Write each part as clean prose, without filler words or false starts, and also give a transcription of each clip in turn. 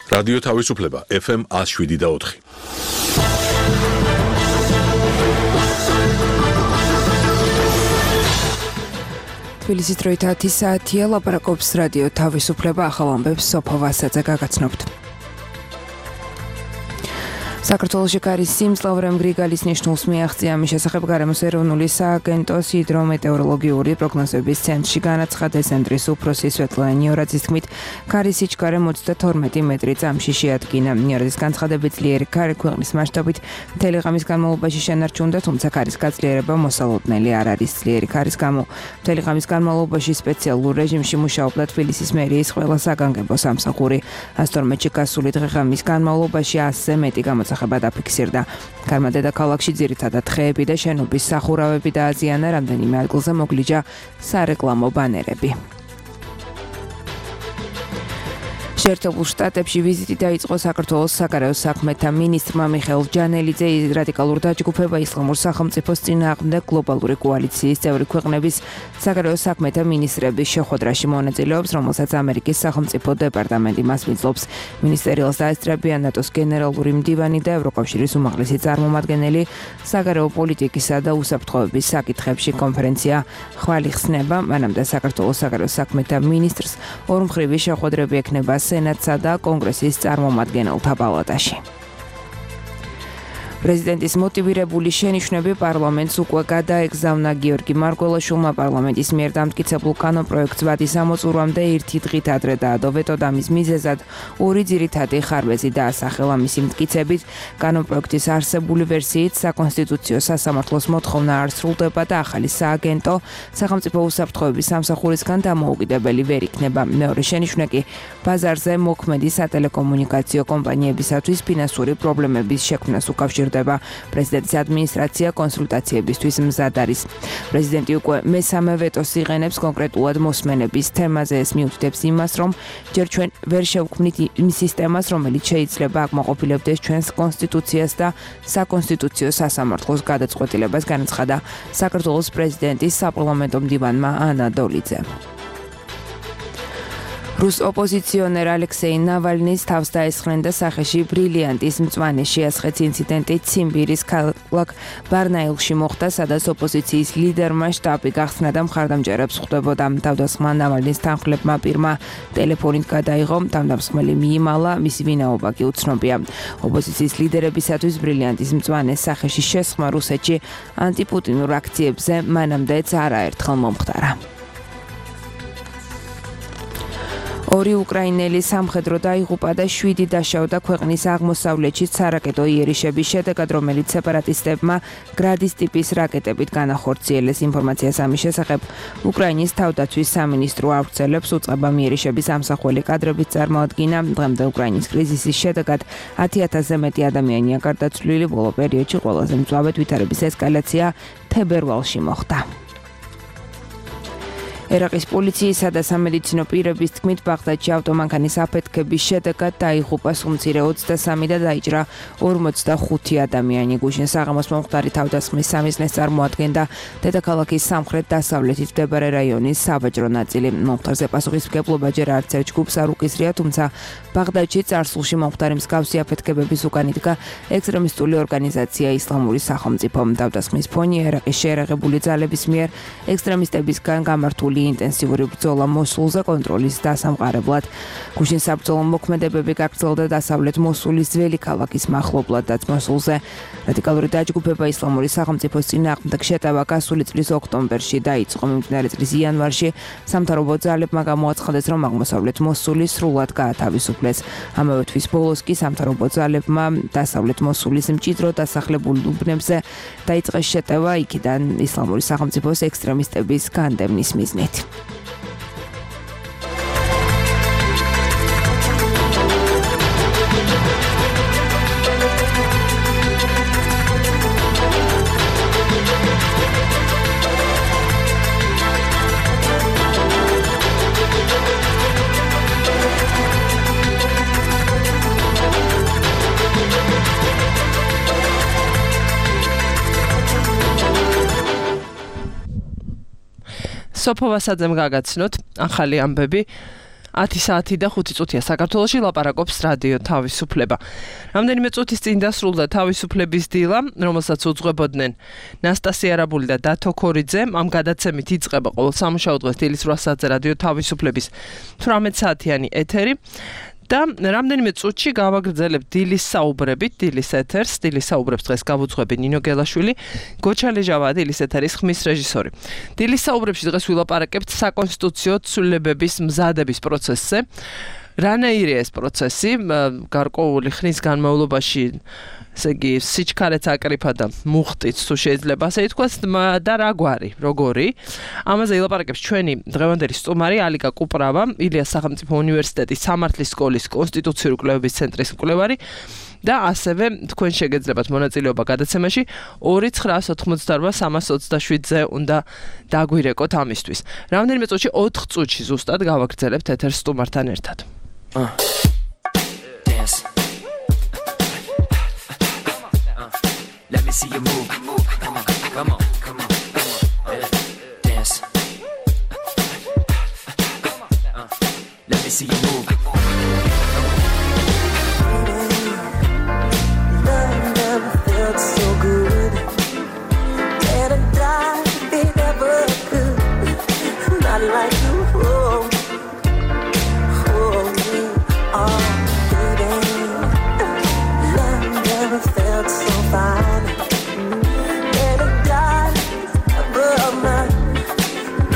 რადიო თავისუფლება FM 107.4. თბილისის დროით 10 საათია, ლაპარაკობს რადიო თავისუფლება, ახალ ამბებს სოფო ვასაძე გაგაცნობთ. საქართველოში კარის სიმძლავრემ გრიგალის ნიშნულს მიაღწია. ამის შესახებ გარემოს ეროვნული სააგენტოს ჰიდრომეტეოროლოგიური პროგნოზების ცენტრში განაცხადა ცენტრის უფროსი სვეტლანა ნიორაძის თქმით, კარის სიჩქარე 32 მეტრი წამში შეადგინა. ნიორაძის განცხადებით, ძლიერი კარი ქვეყნის მასშტაბით მთელი ღამის განმავლობაში შენარჩუნდა, თუმცა კარის გაწლიერება მოსალოდნელი არ არის. ძლიერი კარის გამო მთელი ღამის განმავლობაში სპეციალურ რეჟიმში მუშაობდა თბილისის მერიის ყველა საგანგებო სამსახური. 112-ში გასული დღე-ღამის განმავლობაში 100-ზე მეტი გამოსახება დაფიქსირდა. გარმა დედაქალაქში ძირითადად ხეები და შენობის სახურავები დააზიანა, რამდენიმე ადგილზე მოგლიჯა სარეკლამო ბანერები. შეერთებულ შტატებში ვიზიტი დაიწყო საქართველოს საგარეო საქმეთა მინისტრმა მიხეილ ჯანელიძე. რადიკალურ დაჯგუფება ისლამურ სახელმწიფოს წინააღმდეგ გლობალური კოალიციის წევრი ქვეყნების საგარეო საქმეთა მინისტრების შეხვედრაში მონაწილეობს, რომელსაც ამერიკის სახელმწიფო დეპარტამენტი მას მიძლობს. მინისტერიალს დაესწრებიან ნატოს გენერალური მდივანი და ევროკავშირის უმაღლესი წარმომადგენელი. საგარეო პოლიტიკისა და უსაფრთხოების საკითხებში კონფერენცია ხვალ იხსნება. მანამდე საქართველოს საგარეო საქმეთა მინისტრს ორმხრივი შეხვედრები ექნება სენატსა და კონგრესის წარმომადგენელთა პალატაში. პრეზიდენტის მოტივირებული შენიშვნები პარლამენტს უკვე გადაეგზავნა. გიორგი მარგველაშვილმა პარლამენტის მიერ დამტკიცებულ კანონპროექტს ვადის ამოწურვამდე ერთი დღით ადრე დაადო ვეტო და მის მიზეზად ორი ძირითადი ხარვეზი დაასახელა. მისი მტკიცებით, კანონპროექტის არსებული ვერსიით საკონსტიტუციო სასამართლოს მოთხოვნა არ სრულდება და ახალი სააგენტო სახელმწიფო უსაფრთხოების სამსახურისგან დამოუკიდებელი ვერ იქნება. მეორე შენიშვნა კი ბაზარზე მოქმედი სატელეკომუნიკაციო კომპანიებისათვის ფინანსური პრობლემების შექმნას უკავშირდება. პრეზიდენტის ადმინისტრაცია კონსულტაციებისთვის მზად არის. პრეზიდენტი უკვე მესამე ვეტოს იღენებს კონკრეტულად მოსმენების თემაზე. ეს მიუთითებს იმას, რომ ჯერ ჩვენ ვერ შევქმნით იმ სისტემას, რომელიც შეიძლება აკმაყოფილებდეს ჩვენს კონსტიტუციას და საკონსტიტუციო სასამართლოს გადაწყვეტილებას, განაცხადა საქართველოს პრეზიდენტის საპარლამენტო მდივანმა ანა დოლიძემ. რუს ოპოზიციონერ ალექსეი ნავალნის თავს დაესხნენ და სახეში ბრილიანტის მწვანე შეასხեց. ინციდენტი ციმბირის ქალაქ ბარნაილში მოხდა, სადაც ოპოზიციის ლიდერმა შტაბი გახსნა და მხარდამჭერებს ხვდებოდა. თავდასხმა ნავალნის თანხმლებმა პირმა ტელეფონით გადაიღო, თავდამსხმელი მიიმალა, მისი ვინაობა კი უცნობია. ოპოზიციის ლიდერებისათვის ბრილიანტის მწვანე სახეში შესხმა რუსეთში ანტიპუტინურ აქციებზე მანამდეც არაერთხელ მომხდარა. ორი უკრაინელი სამხედრო დაიღუპა და 7 დაშავდა ქვეყნის აღმოსავლეთში სარაკეტო იერიშების შედეგად, რომელიც სეპარატისტებმა გრადის ტიპის რაკეტებით განახორციელეს. ინფორმაციას ამის შესახებ უკრაინის თავდაცვის სამინისტრო ავრცელებს. უწყებამ იერიშების ამსახველი კადრებით წარმოადგინა. დღემდე უკრაინის კრიზისის შედეგად 10,000-ზე მეტი ადამიანია გარდაცვლილი. ბოლო პერიოდში ყველაზე მწვავედ ვითარების ესკალაცია თებერვალში მოხდა. ერაყის პოლიციისა და სამედიცინო პირების თქმით, ბაღდადში ავტომანქანის აფეთქების შედეგად დაიღუპა სუმცირე 23 და დაიჭრა 45 ადამიანი. გუშინ საღამოს მომხდარი თავდასხმის სამიზნეს წარმოადგენდა დედაქალაქის სამხრეთ-დასავლეთით მდებარე რაიონის საბაჟრო ნაწილი. მომხდარზე პასუხისმგებლობა ჯერ არც ერთ ჯგუფს არ უკისრია, თუმცა ბაღდადში წარსულში მომხდარი მსგავსი აფეთქებების უკან იდგა ექსტრემისტული ორგანიზაცია ისლამური სახელმწიფო. თავდასხმის ფონია ერაყის შეერაღებული ძალების მიერ ექსტრემისტებისგან გამართული ინტენსიური ბრძოლა მოსულზე კონტროლის დასამყარებლად. გუშინ საბრძოლო მოქმედებები გაგრძელდა დასავლეთ მოსულის ძველი ქალაქის მახლობლადაც მოსულზე. რადიკალური დაჯგუფება ისლამური სახელმწიფოს წინააღმდეგ შეტევა გასული წლის ოქტომბერში დაიწყო. მიმდინარე წლის იანვარში სამთავრობო ძალებმა გამოაცხადეს, რომ აღმოსავლეთ მოსული სრულად გაათავისუფლეს. ამავე თვის ბოლოს კი სამთავრობო ძალებმა დასავლეთ მოსულის მჭიდრო დასახლებულ უბნებზე დაიწყეს შეტევა, იქიდან ისლამური სახელმწიფოს ექსტრემისტების განდევნის მიზნით. სოფო ვასაძემ გაგაცნოთ ახალი ამბები. 10 საათი და 5 წუთია საქართველოში ლაპარაკობს რადიო თავისუფლება. რამდენიმე წუთის წინ დასრულდა თავისუფლების დილა, რომელსაც უძღვებოდნენ ნასტასია არაბული და დათო ქორიძე. ამ გადაცემით იწყება ყოველ სამუშაო დღეს დილის 8 საათზე რადიო თავისუფლების 18 საათიანი ეთერი. და რამდენიმე წუთში გავაგრძელებ დილის საუბრებით, დილის ეთერს, დილის საუბრებს დღეს გავუძღვები ნინო გელაშვილი, გოჩა ლეჟავაა დილის ეთერის ხმის რეჟისორი. დილის საუბრებში დღეს ვილაპარაკებთ საკონსტიტუციო ცვლილებების მზადების პროცესზე. რანაირია ეს პროცესი, გარკვეული ხნის განმავლობაში, ესე იგი, სიჩქარეც აკრიფა და მუხტიც თუ შეიძლება ასე ითქვას და როგორი. ამაზე ილაპარაკებს ჩვენი დღევანდელი სტუმარი ალიკა კუპრავა, ილიას სახელმწიფო უნივერსიტეტის სამართლის სკოლის კონსტიტუციური კვლევების ცენტრის მკვლევარი და ასევე თქვენ შეგეძლებათ მონაწილეობა გადაცემაში 2988327-ზე უნდა დაგვირეკოთ ამისთვის. რამდენიმე წუთში 4 წუთში ზუსტად გავაგრძელებთ ეთერს სტუმართან ერთად. Dance. Let me see you move. Come on. Dance. Let me see you move. Love never felt so good. And I died if it ever could. Not like you. Oh, baby, love never felt so fine. And it died above mine.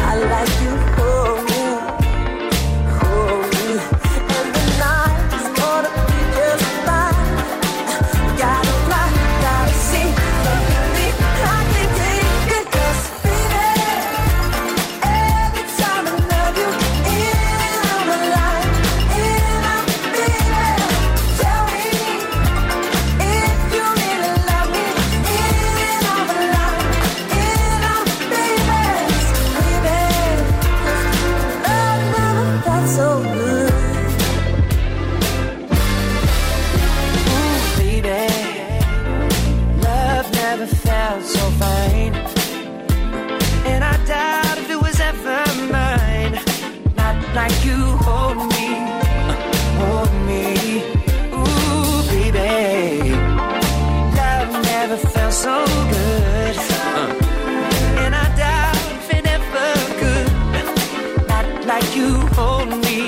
I like you, hold me. And the night's gonna be just fine. Gotta fly, gotta see, baby, I can take it, 'cause baby, every time I love you, in my life. So good, ooh, baby, love never felt so fine, and I doubt if it was ever mine. Not like you hold me, ooh, baby, love never felt so good, and I doubt if it ever could. Not like you hold me.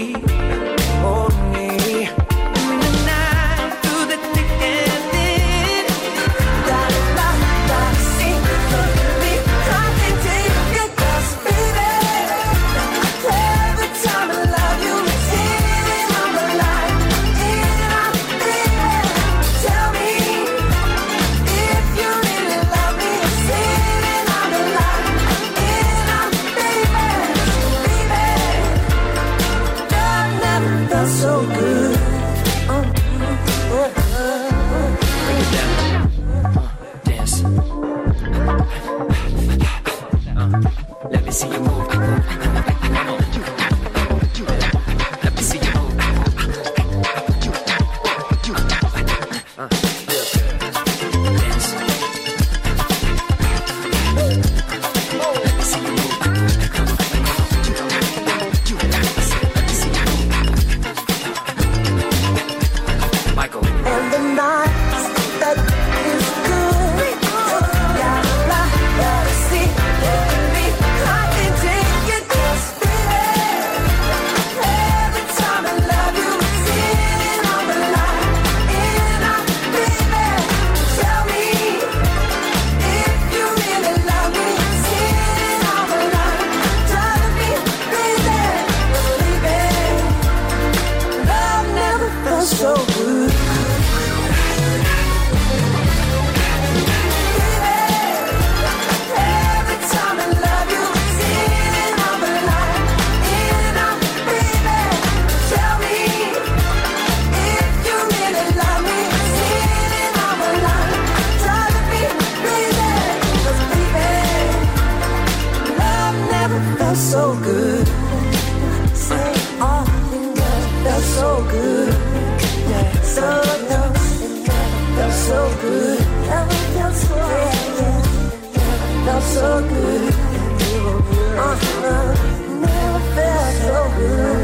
In the night, through the thick and thin. Gotta see, baby, I can take it, 'cause baby, every time I love you, it's in my life, baby. Tell me if you really love me, it's in my life, baby. Felt so good. Bring it down. Dance. Let me see you move. Come on. Let me see you move. Dance. Let me see you move. And the night that is good. Gotta see, baby, I can take it, 'cause baby, every time I love you, it's in my life, baby. Tell me if you really love me, it's in my life. Drive me crazy, love never felt so good. So good, say all in love felt so good, yeah. So love felt so good, never felt so good, felt so good, never felt so good.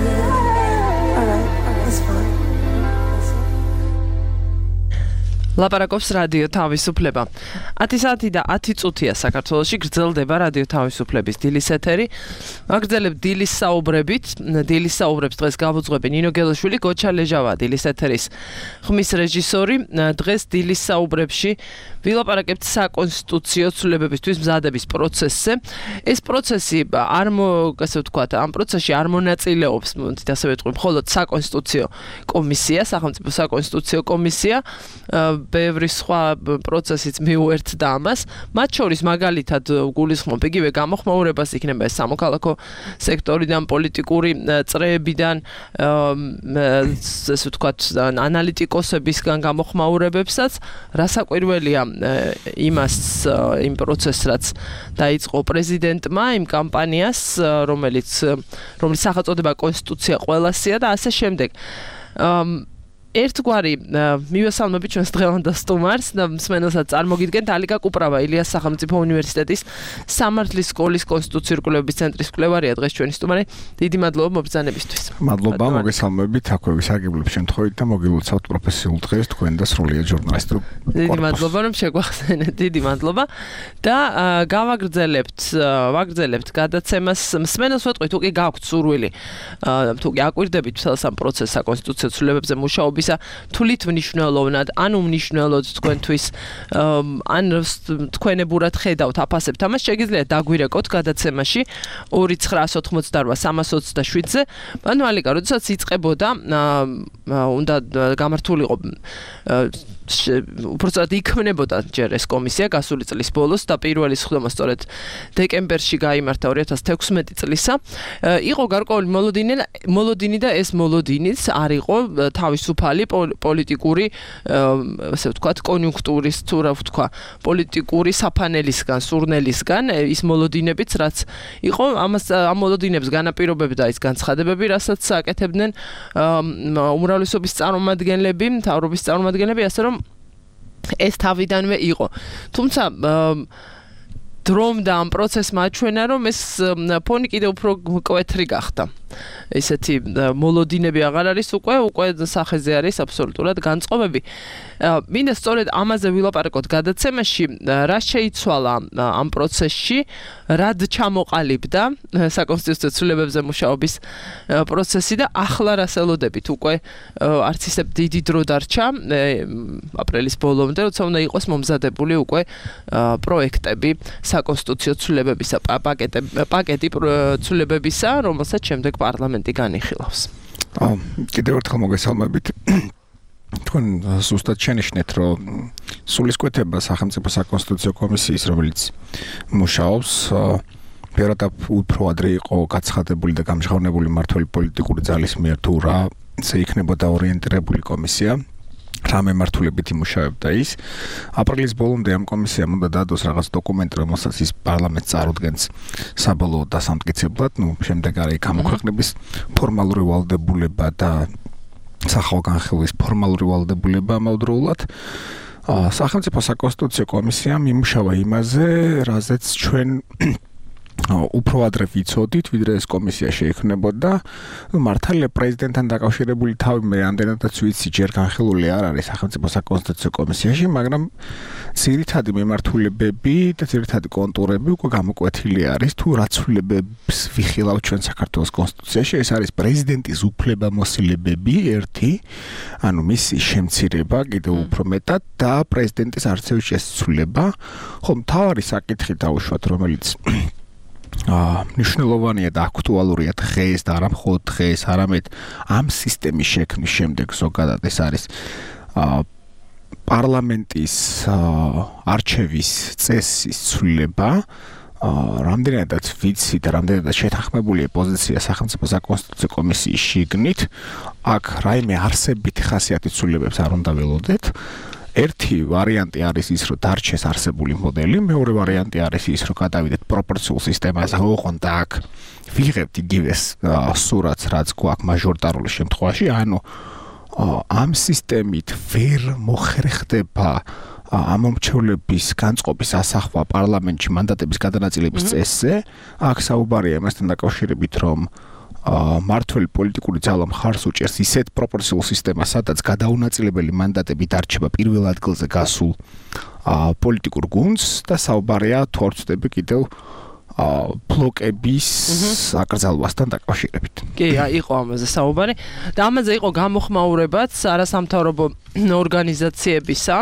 ლაპარაკობს რადიო თავისუფლება. 10 საათი და 10 წუთია საქართველოში გრძელდება რადიო თავისუფლების დილის ეთერი. აგრძელებთ დილის საუბრებით. დილის საუბრებს დღეს გავუძღვები ნინო გელაშვილი, გოჩა ლეჟავა, დილის ეთერის ხმის რეჟისორი. დღეს დილის საუბრებში ვილაპარაკებთ საკონსტიტუციო ცვლილებებისთვის მზადების პროცესზე. ეს პროცესი ასე ვთქვათ, ამ პროცესში არ მონაწილეობს, ასე ვეთქვი, მხოლოდ საკონსტიტუციო კომისია, სახელმწიფო საკონსტიტუციო კომისია. ბევრი სხვა პროცესიც მიუერთდა ამას. მათ შორის მაგალითად გულისხმობ იგივე გამოხმაურებას იქნება ეს სამოქალაქო სექტორიდან, პოლიტიკური წრეებიდან, ასე ვთქვათ, ანალიტიკოსებისგან გამოხმაურებებსაც, რასაკვირველია იმ პროცესს, რაც დაიწყო პრეზიდენტმა, იმ კამპანიას, რომელიც სახელწოდება კონსტიტუცია ყველასია და ასე შემდეგ. ერთგვარი მივესალმები ჩვენს დღევანდელ სტუმარს და მსმენელსაც წარმოგიდგენთ ალიკა კუპრავა, ილიას სახელმწიფო უნივერსიტეტის სამართლის სკოლის კონსტიტუციური კვლევების ცენტრის კვლევარია დღეს ჩვენი სტუმარი. დიდი მადლობა მობრძანებისთვის. მადლობა, მოგესალმებით აქვე ვისაგებლებ შემთხვევით და მოგილოცავთ პროფესიულ დღეს თქვენ და სრულიად ჟურნალისტურ. დიდი მადლობა რომ შეგვახსენეთ. დიდი მადლობა და ვაგრძელებთ გადაცემას. მსმენელს ვეტყვით, თუ კი გაქვთ სურვილი, თუ კი აკვირდებით მთელს ამ პროცესს საკონსტიტუციო ცვლილებებზე მუშაობ თulit მნიშვნელოვნად, ან უმნიშვნელოდ თქვენთვის, ან თქვენებურად ხედავთ, აფასებთ ამას, შეგიძლიათ დაგვირეკოთ გადაცემაში 2988-327-ზე. ანუ ალიკა, როდესაც იწყებოდა, უნდა გამართულიყო უბრალოდ იქმნებოდა ჯერ ეს კომისია გასული წლის ბოლოს და პირველი სხდომა სწორედ დეკემბერში გაიმართა 2016 წლისა. იყო გარკვეული მოლოდინი და ეს მოლოდინიც არ იყო თავისუფალი პოლიტიკური, ასე ვთქვათ, კონიუნქტურის, თუ რა ვთქვა, პოლიტიკური საფანელისგან, სურნელისგან, ის მოლოდინებიც, რაც იყო, ამ მოლოდინებს განაპირობებდა ის განცხადებები, რასაც აკეთებდნენ უმრავლესობის წარმომადგენლები, მთავრობის წარმომადგენლები, ასე რომ ეს თავიდანვე იყო. თუმცა დრომ და ამ პროცესმა აჩვენა, რომ ეს ფონი კიდევ უფრო მკვეთრი გახდა. ესეთი მოლოდინები აღარ არის უკვე სახეზე არის აბსოლუტურად განწყობები. მინდა სწორედ ამაზე ვილაპარაკოთ გადაცემაში, რა შეიცვალა ამ პროცესში, რად ჩამოყალიბდა საკონსტიტუციო ცვლილებებზე მუშაობის პროცესი და ახლა რას ელოდებით. უკვე არც ისე დიდი დრო დარჩა აპრილის ბოლომდე, როცა უნდა იყოს მომზადებული უკვე პროექტები საკონსტიტუციო ცვლილებებისა, პაკეტი ცვლილებებისა, რომელსაც შემდეგ პარლამენტი განიხილავს. კიდევ ერთხელ მოგესალმებით. თქვენ ზუსტად შენიშნეთ, რომ სულისკვეთება სახელმწიფო საკონსტიტუციო კომისიის, რომელიც მუშაობს, ფერად უფრო ადრე იყო გაცხადებული და გამჟღავნებული მმართველი პოლიტიკური ძალის მიერ, თუ რა იქნებოდა ორიენტირებული კომისია. რა მემართულებით იმუშავებდა ის. აპრილის ბოლომდე ამ კომისიამ უნდა დადოს რაღაც დოკუმენტი, რომელსაც ის პარლამენტს წარუდგენს საბოლოო დასამტკიცებლად, შემდეგ არის გამოქვეყნების ფორმალური ვალდებულება და სახალხო-განხილვის ფორმალური ვალდებულება ამავდროულად. სახელმწიფო საკონსტიტუციო კომისიამ იმუშავა იმაზე, რაზეც ჩვენ უფრო ადრე ვიცოდით, ვიდრე ეს კომისია შეიქმნებოდა. მართალია პრეზიდენტთან დაკავშირებული თავი მე ამდენადაც ვიცი, ჯერ განხილული არ არის სახელმწიფო საკონსტიტუციო კომისიაში, მაგრამ ძირითადი მემართულებები და ძირითადი კონტურები უკვე გამოკვეთილი არის, თუ რა ცვლილებებს ვიხილავთ ჩვენ საქართველოს კონსტიტუციაში. ეს არის პრეზიდენტის უფლებამოსილებები, ერთი, ანუ მისი შემცირება კიდევ უფრო მეტად და პრეზიდენტის არცევი შესცვლილება. ხო, მთავარი საკითხი დავუშვათ, რომელიც მნიშვნელოვანია და აქტუალურია დღეს და არა მხოლოდ დღეს, არამედ ამ სისტემის შექმნის შემდეგ ზოგადად ეს არის პარლამენტის არჩევის წესის ცვლილება. რამდენადაც ვიცი და რამდენადაც შეთანხმებულია პოზიცია სახელმწიფო საკონსტიტუციო კომისიის შიგნით, აქ რაიმე არსებითი ხასიათის ცვლილებებს არ უნდა ველოდეთ. ერთი ვარიანტი არის ის, რომ დარჩეს არსებული მოდელი, მეორე ვარიანტი არის ის, რომ გადავიდეთ პროპორციულ სისტემაზე, ოღონდ აქ ვიღებთ იგივეს სურათს, რაც გვაქვს მაჟორიტარული შემთხვევაში, ანუ ამ სისტემით ვერ მოხერხდება ამომრჩევლების განწყობის ასახვა პარლამენტში მანდატების გადანაწილების წესზე. აქ საუბარია იმასთან დაკავშირებით, რომ მართველი პოლიტიკური ძალა მხარს უჭერს ისეთ პროპორციულ სისტემას, სადაც გადაუნაწილებელი მანდატები დარჩება პირველ ადგილზე გასულ პოლიტიკურ გუნდს და საუბარია თუ არ ვწდები კიდევ ბლოკების აკრძალვასთან დაკავშირებით. კი, იყო ამაზე საუბარი და ამაზე იყო გამოხმაურებაც არასამთავრობო ორგანიზაციებისა.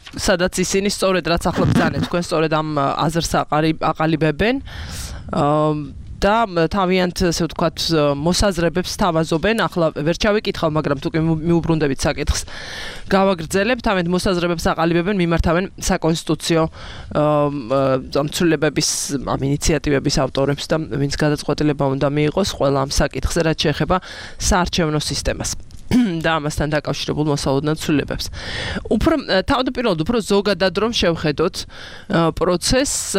სადაც ისინი სწორედ რაც ახლა ბრძანეთ, თქვენ სწორედ ამ აზრს აყალიბებენ. და თავიანთ ასე ვთქვათ მოსაზრებებს თავაზობენ. ახლა ვერ ჩავიკითხავ, მაგრამ თუ კი მიუბრუნდებით საკითხს, გავაგრძელებ. თავიანთ მოსაზრებებს აყალიბებენ, მიმართავენ საკონსტიტუციო ცვლილებების ამ ინიციატივების ავტორებს და ვინც გადაწყვეტილება უნდა მიიღოს ყველა ამ საკითხზე, რაც შეეხება საარჩევნო სისტემას. და ამასთან დაკავშირებულ მოსალოდნელ ცვლილებებს. უფრო თავდაპირველად უფრო ზოგადად რომ შევხედოთ პროცესს,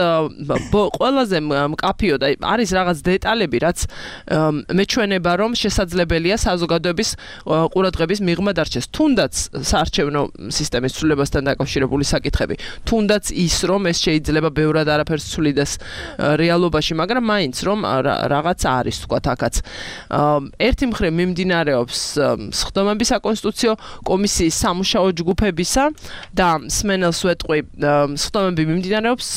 ყველაზე მკაფიო და არის რაღაც დეტალები, რაც მეჩვენება რომ შესაძლებელია საზოგადოების ყურადღების მიღმა დარჩეს. თუნდაც საარჩევნო სისტემის ცვლილებასთან დაკავშირებული საკითხები, თუნდაც ის რომ ეს შეიძლება ბევრად არაფერს ცვლიდეს რეალობაში, მაგრამ მაინც რომ რაღაც არის, თქვათ, აქაც. ერთი მხრივ მიმდინარეობს სხდომები საკონსტიტუციო კომისიის სამუშაო ჯგუფებისა და სმენელს ვეტყვი სხდომები მიმდინარეობს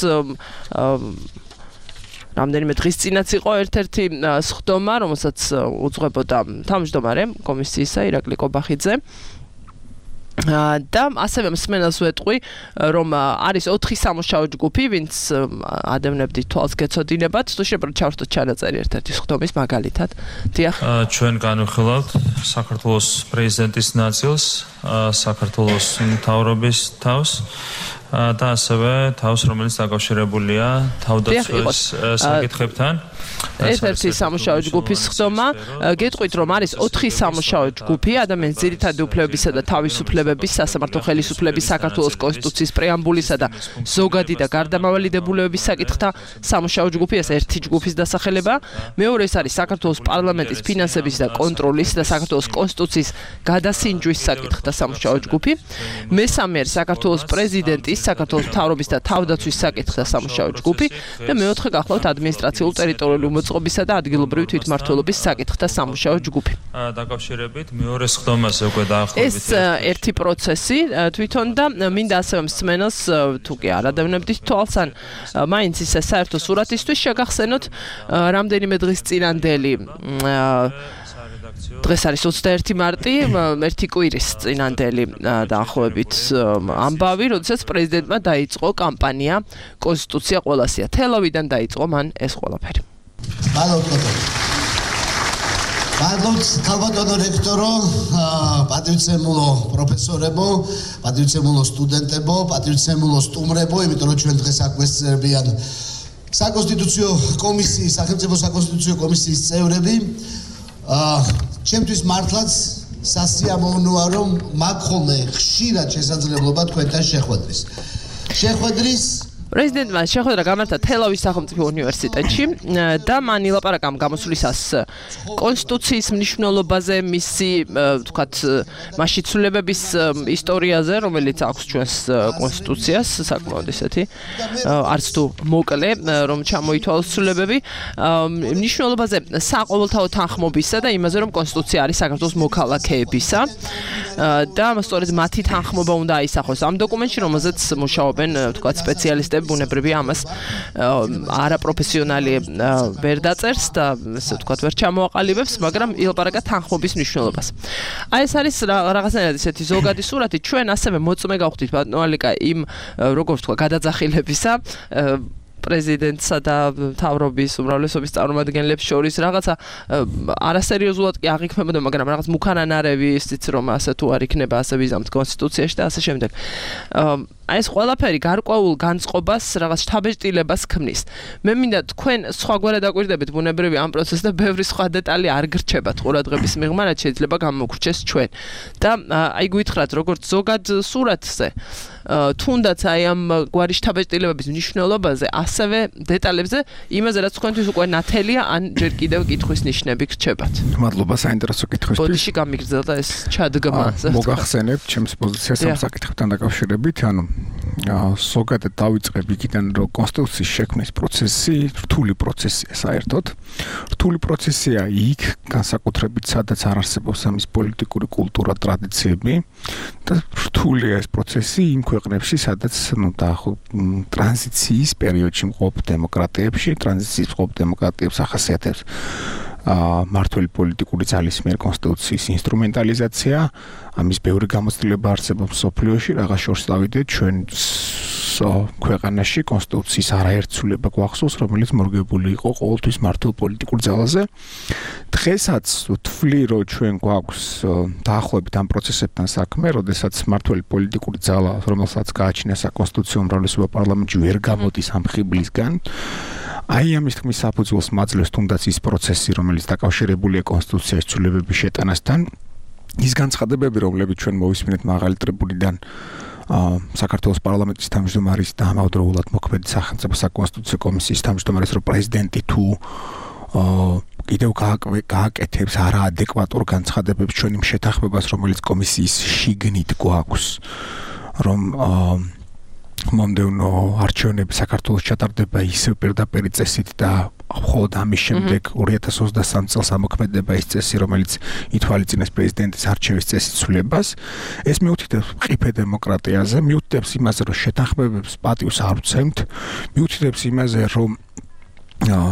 რამდენიმე დღის წინაც იყო ერთ-ერთი სხდომა, რომელსაც უძღვებოდა თავმჯდომარე კომისიისა ირაკლი კობახიძე. და ასევე მსმენელს ვეტყვი, რომ არის 4 სამუშაო ჯგუფი, ვინც ადევნებდით თვალს გეცოდინებათ, თუ შებრალ ჩავშთოთ ჩანაწერი ერთ-ერთი სხდომის მაგალითად. დიახ. ჩვენ განვიხილავთ საქართველოს პრეზიდენტის ნაწილს, საქართველოს მთავრობის თავს და ასევე თავს, რომელიც დაკავშირებულია თავდაცვის საკითხებთან. ერთ-ერთი სამუშაო ჯგუფის სხდომა, გეტყვით რომ არის 4 სამუშაო ჯგუფი, ადამიანის ძირითადი უფლებებისა და თავისუფლებების, სასამართლო ხელისუფლების, საქართველოს კონსტიტუციის პრეამბულისა და ზოგადი და გარდამავალი დებულებების საკითხთა სამუშაო ჯგუფი, ეს ერთი ჯგუფის დასახელება. მეორე ეს არის საქართველოს პარლამენტის ფინანსების და კონტროლის და საქართველოს კონსტიტუციის გადასინჯვის საკითხთა სამუშაო ჯგუფი. მესამე არის საქართველოს პრეზიდენტის, საქართველოს მთავრობის და თავდაცვის საკითხთა სამუშაო ჯგუფი და მეოთხე გახლავთ ადმინისტრაციულ ტერიტორიული მოწყობისა და ადგილობრივი თვითმმართველობის საკითხთა სამუშაო ჯგუფი. დაკავშირებით მეორე სხდომაზე უკვე დაახლოებით ეს ერთი პროცესი თვითონ და მინდა ასევე მსმენელს თუ კი არ ადევნებდით თვალს ან მაინც ისე საერთო სურათისთვის შეგახსენოთ რამდენიმე დღის წინანდელი დღეს არის 21 მარტი, ერთი კვირის წინანდელი დაახლოებით ამბავი, როდესაც პრეზიდენტმა დაიწყო კამპანია კონსტიტუცია ყველასია. თელავიდან დაიწყო მან ეს ყველაფერი. მადლობთ ქალბატონო რექტორო, პატივცემულო პროფესორებო, პატივცემულო სტუდენტებო, პატივცემულო სტუმრებო, იმიტომ რომ ჩვენ დღეს აქ ვესწრებიან საკონსტიტუციო კომისიის, სახელმწიფო საკონსტიტუციო კომისიის წევრები. ჩემთვის მართლაც სასიამოვნოა რომ მაქვს ხოლმე ხშირად შესაძლებლობა თქვენთან შეხვედრის. პრეზიდენტმა შეხვედრა გამართა თელავის სახელმწიფო უნივერსიტეტში და მან ილაპარაკა ამ გამოსვლისას კონსტიტუციის მნიშვნელობაზე, მისი ვთქვათ მასში ცვლილებების ისტორიაზე, რომელიც აქვს ჩვენს კონსტიტუციას, საკმაოდ ისეთი არც თუ მოკლე, რომ ჩამოითვალოს ცვლილებები, მნიშვნელობაზე საყოველთაო თანხმობისა და იმაზე, რომ კონსტიტუცია არის საქართველოს მოქალაქეებისა და სწორედ მათი თანხმობა უნდა აისახოს ამ დოკუმენტში, რომელზეც მუშაობენ ვთქვათ სპეციალისტები. ბუნებრივია ამას არაპროფესიონალი ვერ დაწერს და ესე ვთქვათ ვერ ჩამოაყალიბებს, მაგრამ ილაპარაკა თანხმობის მნიშვნელობას. აი ეს არის რაღაცნაირად ისეთი ზოგადი სურათი. ჩვენ ასევე მოწმე გავხდით ბატონო ალიკა იმ როგორ ვთქვა გადაძახილებისა პრეზიდენტსა და მთავრობის უმრავლესობის წარმომადგენლებს შორის რაღაცა არასერიოზულად კი აღიქმებოდა, მაგრამ რაღაც მუქანანარევი ისიც რომ ასე თუ არ იქნება ასე ვიზამთ კონსტიტუციაში და ასე შემდეგ. აი ეს ყველაფერი გარკვეულ განწყობას, რაღაც შთაბეჭდილებას ქმნის. მე მინდა თქვენ სხვაგვარად დაკვირდებით ბუნებრივი ამ პროცესს და ბევრი სხვა დეტალი არ გრჩებათ ყურადღების მიღმა, რაც შეიძლება გამოგვრჩეს ჩვენ. და აი გითხრათ როგორც ზოგად სურათზე თუნდაც აი ამ გვარი შთაბეჭდილებების მნიშვნელობაზე, ასევე დეტალებზე, იმაზე რაც თქვენთვის უკვე ნათელია, ან ჯერ კიდევ კითხვის ნიშნები გრჩებათ. მადლობა საინტერესო კითხვისთვის. ბოდიში გამიგრძელდა ეს ჩადგმა. მოგახსენებთ ჩემს პოზიციას ამ საკითხებთან დაკავშირებით, ანუ ზოგადად დავიწყებ იქიდან, რომ კონსტიტუციის შექმნის პროცესი რთული პროცესია საერთოდ. რთული პროცესია იქ, განსაკუთრებით სადაც არ არსებობს ამის პოლიტიკური კულტურა, ტრადიციები და რთულია ეს პროცესი იმ ქვეყნებში, სადაც ტრანზიციის პერიოდში მყოფ დემოკრატიებში, ტრანზიციის მყოფ დემოკრატიებს ახასიათებს მართველი პოლიტიკური ძალის მიერ კონსტიტუციის ინსტრუმენტალიზაცია, ამის ბევრი გამოცდილება არსებობს სოფლიოში, რაღაც შორს დავიდეთ ჩვენ ქვეყანაში კონსტიტუციის არაერთცვლილება გვახსოვს, რომელიც მორგებული იყო ყოველთვის მართულ პოლიტიკურ ძალაზე. დღესაც ვთვლი, რომ ჩვენ გვაქვს დაახლოებით ამ პროცესებთან საქმე, როდესაც მართველი პოლიტიკური ძალა, რომელსაც გააჩნია საკონსტიტუციო უმრავლესობა პარლამენტში, ვერ გამოდის ამ ხიბლისგან. აი ამის თქმის საფუძველს მაძლევს თუნდაც ის პროცესი, რომელიც დაკავშირებულია კონსტიტუციის ცვლილებების შეტანასთან. ის განცხადებები, რომლებიც ჩვენ მოვისმინეთ მაღალი ტრიბუნიდან საქართველოს პარლამენტის თავმჯდომარის და ამავდროულად მოქმედი სახელმწიფო საკონსტიტუციო კომისიის თავმჯდომარის, რომ პრეზიდენტი თუ კიდევ გააკეთებს არაადეკვატურ განცხადებებს ჩვენ იმ შეთანხმებას, რომელიც კომისიის შიგნით გვაქვს, რომ მომდევნო არჩევნები საქართველოს ჩატარდება ისევ პირდაპირ წესით და მხოლოდ ამის შემდეგ 2023 წელს ამოქმედება ის წესი, რომელიც ითვალისწინებს პრეზიდენტის არჩევის წესის ცვლილებას. ეს მიუთითებს მყიფე დემოკრატიაზე, მიუთითებს იმაზე, რომ შეთანხმებებს პატივს არ ვცემთ, მიუთითებს იმაზე, რომ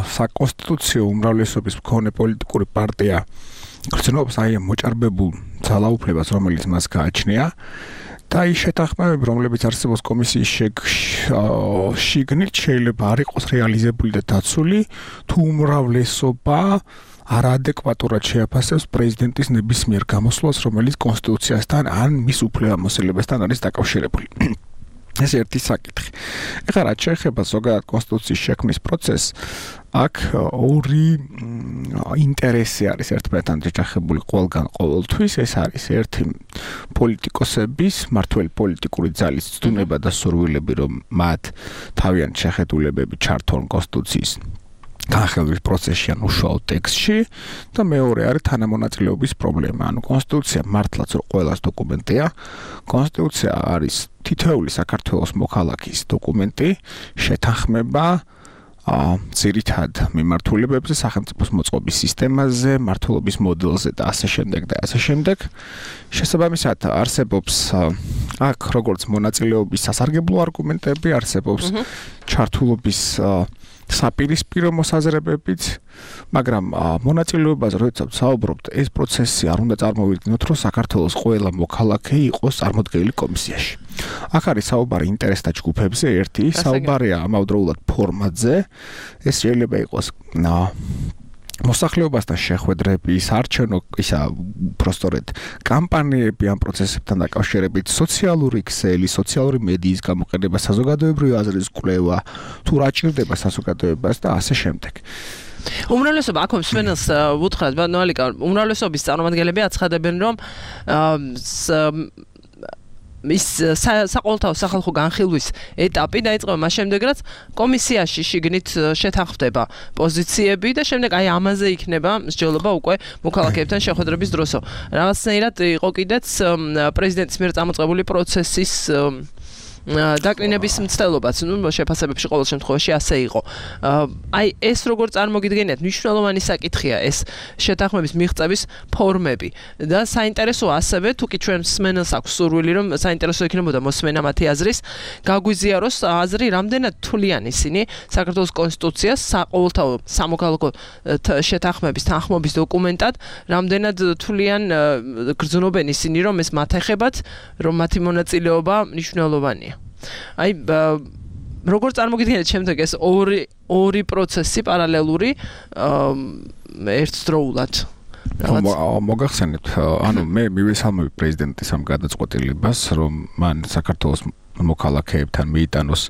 საკონსტიტუციო უმრავლესობის მქონე პოლიტიკური პარტია გრძნობს აი ამ მოჭარბებულ ძალაუფლებას, რომელიც მას გააჩნია. და ის შეთანხმებები, რომლებიც არსებობს კომისიის შიგნით, შეიძლება არ იყოს რეალიზებული და დაცული, თუ უმრავლესობა არაადეკვატურად შეაფასებს პრეზიდენტის ნებისმიერ გამოსვლას, რომელიც კონსტიტუციასთან ან მის უფლებამოსილებასთან არის დაკავშირებული. ეს ერთი საკითხი. ეხლა რაც შეეხება ზოგადად კონსტიტუციის შექმნის პროცესს, აქ ორი ინტერესი არის ერთმანეთთან შეჯახებული ყველგან ყოველთვის. ეს არის ერთი პოლიტიკოსების, მართველი პოლიტიკური ძალის ცდუნება და სურვილები, რომ მათ თავიანთი შეხედულებები ჩართონ კონსტიტუციის განხილვის პროცესში ან უშუალო ტექსტში და მეორე არის თანამონაწილეობის პრობლემა. ანუ კონსტიტუცია მართლაც ყველას დოკუმენტია. კონსტიტუცია არის თითოეული საქართველოს მოქალაქის დოკუმენტი, შეთანხმება ძირითად მიმართულებებზე, სახელმწიფოს მოწყობის სისტემაზე, მართლობის მოდელზე და ასე შემდეგ და ასე შემდეგ. შესაბამისად არსებობს აქ როგორც მონაწილეობის სასარგებლო არგუმენტები, არსებობს ჩართულობის საპირისპირო მოსაზრებებით, მაგრამ მონაწილეობაზე როდესაც საუბრობთ, ეს პროცესი არ უნდა წარმოვიდგინოთ, რომ საქართველოს ყველა მოქალაქე იყოს წარმოდგენილი კომისიაში. აქ არის საუბარი ინტერესთა ჯგუფებზე, ერთი საუბარია ამავდროულად ფორმატზე, ეს შეიძლება იყოს მოსახლეობასთან შეხვედრები, არჩევნო ისა პროსტორეთ კამპანიები ამ პროცესებთან დაკავშირებით, სოციალური ქსელი, სოციალური მედიის გამოყენება, საზოგადოებრივი აზრის კვლევა, თუ რა ჭირდება საზოგადოებას და ასე შემდეგ. უმრავლესობა აქ მსმენელს უთხრათ, ბატონო ალიკა, უმრავლესობის წარმომადგენლები აცხადებენ, რომ ის საყოველთაო სახალხო განხილვის ეტაპი დაიწყება მას შემდეგ, რაც კომისიაში შიგნით შეთანხმდება პოზიციები და შემდეგ აი ამაზე იქნება მსჯელობა უკვე მოქალაქეებთან შეხვედრების დროსო. რაღაცნაირად იყო კიდეც პრეზიდენტის მიერ წამოწყებული პროცესის დაკნინების მცდელობაც, შეფასებებში ყოველ შემთხვევაში ასე იყო. აი ეს როგორ წარმოგიდგენიათ, მნიშვნელოვანი საკითხია ეს შეთანხმების მიღწევის ფორმები და საინტერესოა ასევე, თუ კი ჩვენ მსმენელს აქვს სურვილი, რომ საინტერესო იქნებოდა მოსმენა მათი აზრის, გაგვიზიაროს აზრი, რამდენად თვლიან ისინი საქართველოს კონსტიტუციას საყოველთაო სამოქალაქო შეთანხმების თანხმობის დოკუმენტად, რამდენად თვლიან გრძნობენ ისინი, რომ ეს მათ ეხებათ, რომ მათი მონაწილეობა მნიშვნელოვანია. აი როგორ წარმოგიდგენთ შემდეგ ეს ორი პროცესი პარალელური ერთდროულად მოგახსენეთ, ანუ მე მივესალმები პრეზიდენტის ამ გადაწყვეტილებას, რომ მან საქართველოს მოქალაქეებთან მიიტანოს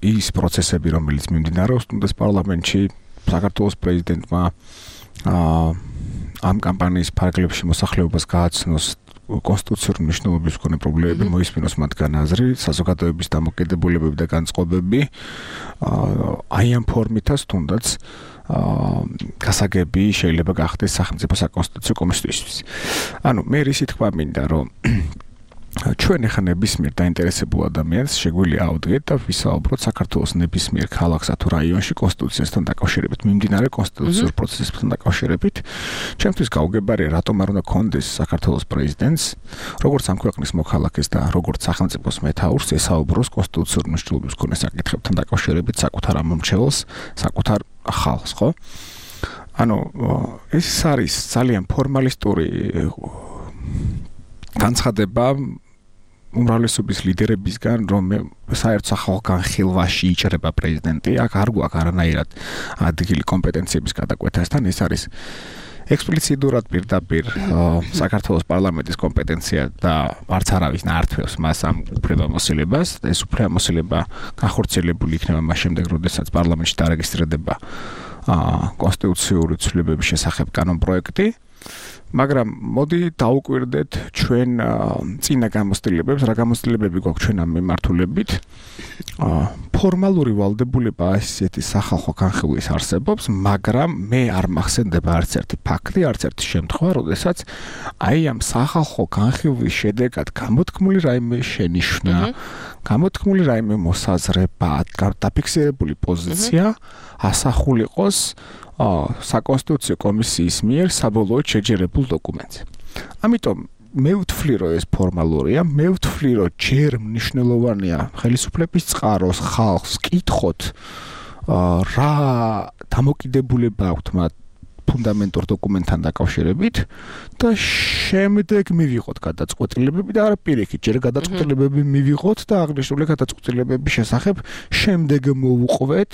ის პროცესები, რომელიც მიმდინარეობს თუნდაც პარლამენტში, საქართველოს პრეზიდენტმა ამ კამპანიის ფარგლებში მოსახლეობას გააცნოს კონსტიტუციური მნიშვნელობის მქონე პრობლემები, მოისმინოს მათგან აზრი, საზოგადოების დამოკიდებულებები და განწყობები, აი ამ ფორმითაც თუნდაც გასაგები შეიძლება გახდეს სახელმწიფო საკონსტიტუციო კომისიისთვის. ანუ მე რისი თქვა მინდა, რომ ჩვენ ახლა ნებისმიერ დაინტერესებულ ადამიანს შეგვიძლია ავდგეთ და ვისაუბროთ საქართველოს ნებისმიერ ქალაქსა თუ რაიონში კონსტიტუციასთან დაკავშირებით, მიმდინარე კონსტიტუციურ პროცესებთან დაკავშირებით. ჩემთვის გაუგებარია, რატომ არ უნდა კონდეს საქართველოს პრეზიდენტს, როგორც ამ ქვეყნის მოქალაქეს და როგორც სახელმწიფოს მეთაურს ესაუბროს კონსტიტუციურ მნიშვნელობის მქონე საკითხებთან დაკავშირებით საკუთარ ამომრჩეველს, საკუთარ ხალხს, ხო? ანუ ეს არის ძალიან ფორმალისტური განცხადება უმრავლესობის ლიდერებისგან, რომ საერთო სახალხო განხილვაში იჭრება პრეზიდენტი, აქ არ გვაქვს არანაირად ადგილი კომპეტენციების გადაკვეთასთან, ეს არის ექსპლიციტურად პირდაპირ საქართველოს პარლამენტის კომპეტენცია და არც არავის ნაართვევს მას ამ უფლებამოსილებას. ეს უფლებამოსილება განხორციელებული იქნება მას შემდეგ, როდესაც პარლამენტში დარეგისტრირდება კონსტიტუციური ცვლილებების შესახებ კანონპროექტი. მაგრამ მოდი დაუკვირდეთ ჩვენ წინა გამოცდილებებს, რა გამოცდილებები გვაქვს ჩვენ ამ მიმართულებით. ფორმალური ვალდებულება ასეთი სახალხო განხილვის არსებობს, მაგრამ მე არ მახსენდება არც ერთი ფაქტი, არც ერთი შემთხვევა, როდესაც აი ამ სახალხო განხილვის შედეგად გამოთქმული რაიმე შენიშვნა, გამოთქმული რაიმე მოსაზრება, დაფიქსირებული პოზიცია ასახულიყოს საკონსტიტუციო კომისიის მიერ საბოლოოდ შეჯერებულ დოკუმენტზე. ამიტომ მე ვთვლი, რომ ეს ფორმალურია, მე ვთვლი, რომ ჯერ მნიშვნელოვანია ხელისუფლების წყაროს ხალხს კითხოთ, რა დამოკიდებულება აქვთ მათ ფუნდამენტურ დოკუმენტთან დაკავშირებით და შემდეგ მივიღოთ გადაწყვეტილებები და არა პირიქით, ჯერ გადაწყვეტილებები მივიღოთ და აღნიშნული გადაწყვეტილებების შესახებ შემდეგ მოვუყვეთ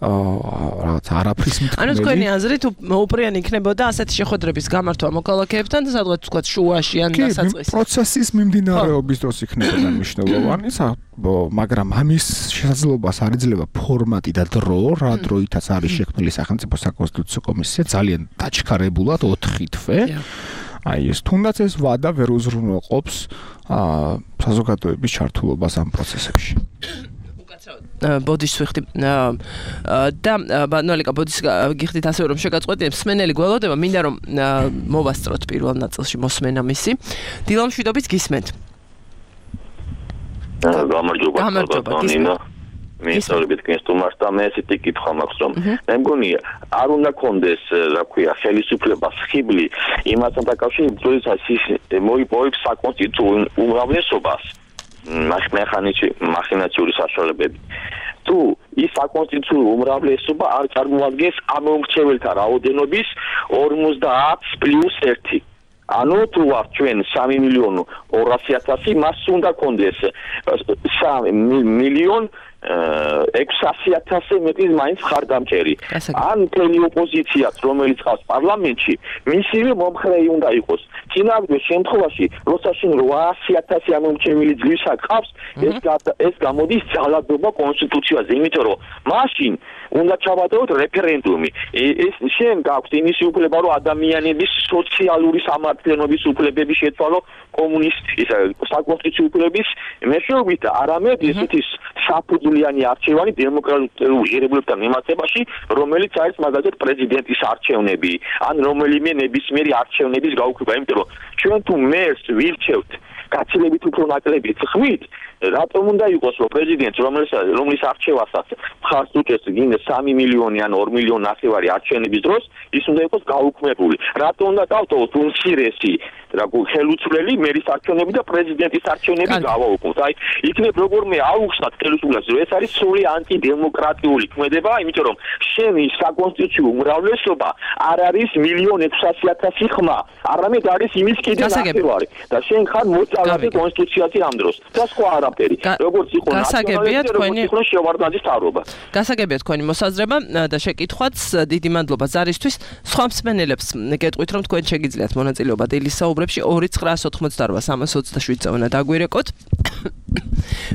რაღაც არაფრის მთქმელი. ანუ თქვენი აზრით მოუპრიანი იქნებოდა ასეთი შეხვედრების გამართვა მოქალაქეებთან და სადღაც თქვა შუაში ან დასაწყისში. პროცესის მიმდინარეობის დროს იქნებოდა მნიშვნელოვანი, მაგრამ ამის შესაძლებლობას არ იძლევა ფორმატი და დრო, რა დროითაც არის შექმნილი სახელმწიფო საკონსტიტუციო კომისია, ძალიან დაჩქარებულად 4 თვე. აი ეს თუნდაც ეს ვადა ვერ უზრუნველყოფს საზოგადოების ჩართულობას ამ პროცესებში. ბოდიშს ვიხდი და ნოლიკა ბოდიშს გიხდით ასევე რომ შეგაწყვეტინებ მსმენელი გველოდება, მინდა რომ მოვასწროთ პირველ ნაწილში მოსმენა მისი. დილამ შვიდობით გისმენთ. გამარჯობა ნინა. მისწორებით კენსტუმარს და მე ესეთი კითხვა მაქვს, რომ მე მგონი არ უნდა კონდეს, რა ქვია, ხელისუფლებას ხიბლი იმასთან დაკავშირებით, როდესაც ის მოიპოვებს საკონსტიტუციო უმრავლესობას მახინაციური საშუალებებით. თუ ის საკონსტიტუციო უმრავლესობა არ წარმოადგენს ამომრჩეველთა რაოდენობის 50+1. ანუ თუ ვარ ჩვენ 3.200.000, მას უნდა კონდეს 3.600.000 მეტის მაინც ხარდამჭერი. ან მთელი ოპოზიციაც, რომელიც ყავს პარლამენტში, მისივე მომხრეი უნდა იყოს. წინააღმდეგ შემთხვევაში, როცა შენ 800.000 ამომრჩეველი ძლივსა ყავს, ეს გამოდის ძალადობა კონსტიტუციაზე, იმიტომ რომ მაშინ უნდა ჩავატაროთ რეფერენდუმი. ეს შენ გაქვს იმის უფლება, რომ ადამიანების სოციალური სამართლიანობის უფლებები შეცვალო კომუნისტის საკონსტიტუციო უფლების მეშვეობით და არამედ ესეთი საფუძვლიანი არჩევანი დემოკრატიულ ღირებულებთან მიმართებაში, რომელიც არის მაგალითად პრეზიდენტის არჩევნები, ან რომელიმე ნებისმიერი არჩევნების გაუქმება, იმიტომ რომ ჩვენ თუ მერს ვირჩევთ გაცილებით უფრო ნაკლები ხვით, რატომ უნდა იყოს რომ პრეზიდენტს რომლის არჩევასაც მხარს უჭერს გინდა 3 მილიონი ან 2 მილიონი ნახევარი არჩევნების დროს, ის უნდა იყოს გაუქმებული. რატომ უნდა დავტოვოთ უმცირესი ხელუცვლელი მერის არჩევნები და პრეზიდენტის არჩევნები გავაუქმოთ. აი, იქნებ როგორმე აუხსნათ ხელისუფლებას, რომ ეს არის სრული ანტიდემოკრატიული ქმედება, იმიტომ რომ შენი საკონსტიტუციო უმრავლესობა არ არის 1.600.000 ხმა, არამედ არის იმის კიდე ნახევარი. და შენ ხარ მოწალათი კონსტიტუციაზე ამ დროს. და სხვა არაფერი. როგორც იყო გასაგებია თქვენი შევარდნაძის თავრობა. გასაგებია თქვენი მოსაზრება და შეკითხვაც, დიდი მადლობა ზარისთვის. სხვა მსმენელებს გეტყვით, რომ თქვენ შეგიძლიათ მონაწილეობა დილის საუბრებში 2988327 უნდა დაგვირეკოთ.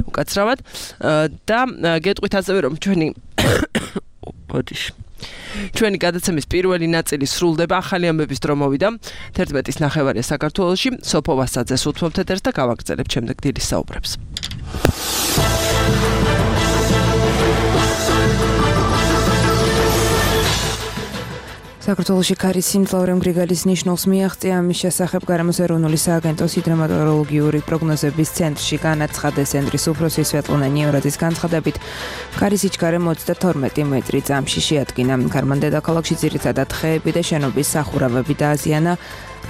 უკაცრავად და გეტყვით ასევე, რომ ჩვენი გადაცემის პირველი ნაწილი სრულდება, ახალი ამბების დრო მოვიდა. 11:09 საქართველოში, სოფო ვასაძეს უთმობთ ეთერს და გავაგრძელებთ შემდეგ დილის საუბრებს. საქართველოში ქარის სიმძლავრემ გრიგალის ნიშნულს მიაღწია. Ამის შესახებ გარემოს ეროვნული სააგენტოს ჰიდრომეტეოროლოგიური პროგნოზების ცენტრში განაცხადეს ცენტრის უფროსი სვეტლანა ნიევრაძის განცხადებით, ქარის სიჩქარე 22 მეტრი წამში შეადგინა. ქარმან დედაქალაქში ძირითადად ხეები და შენობის სახურავები დააზიანა.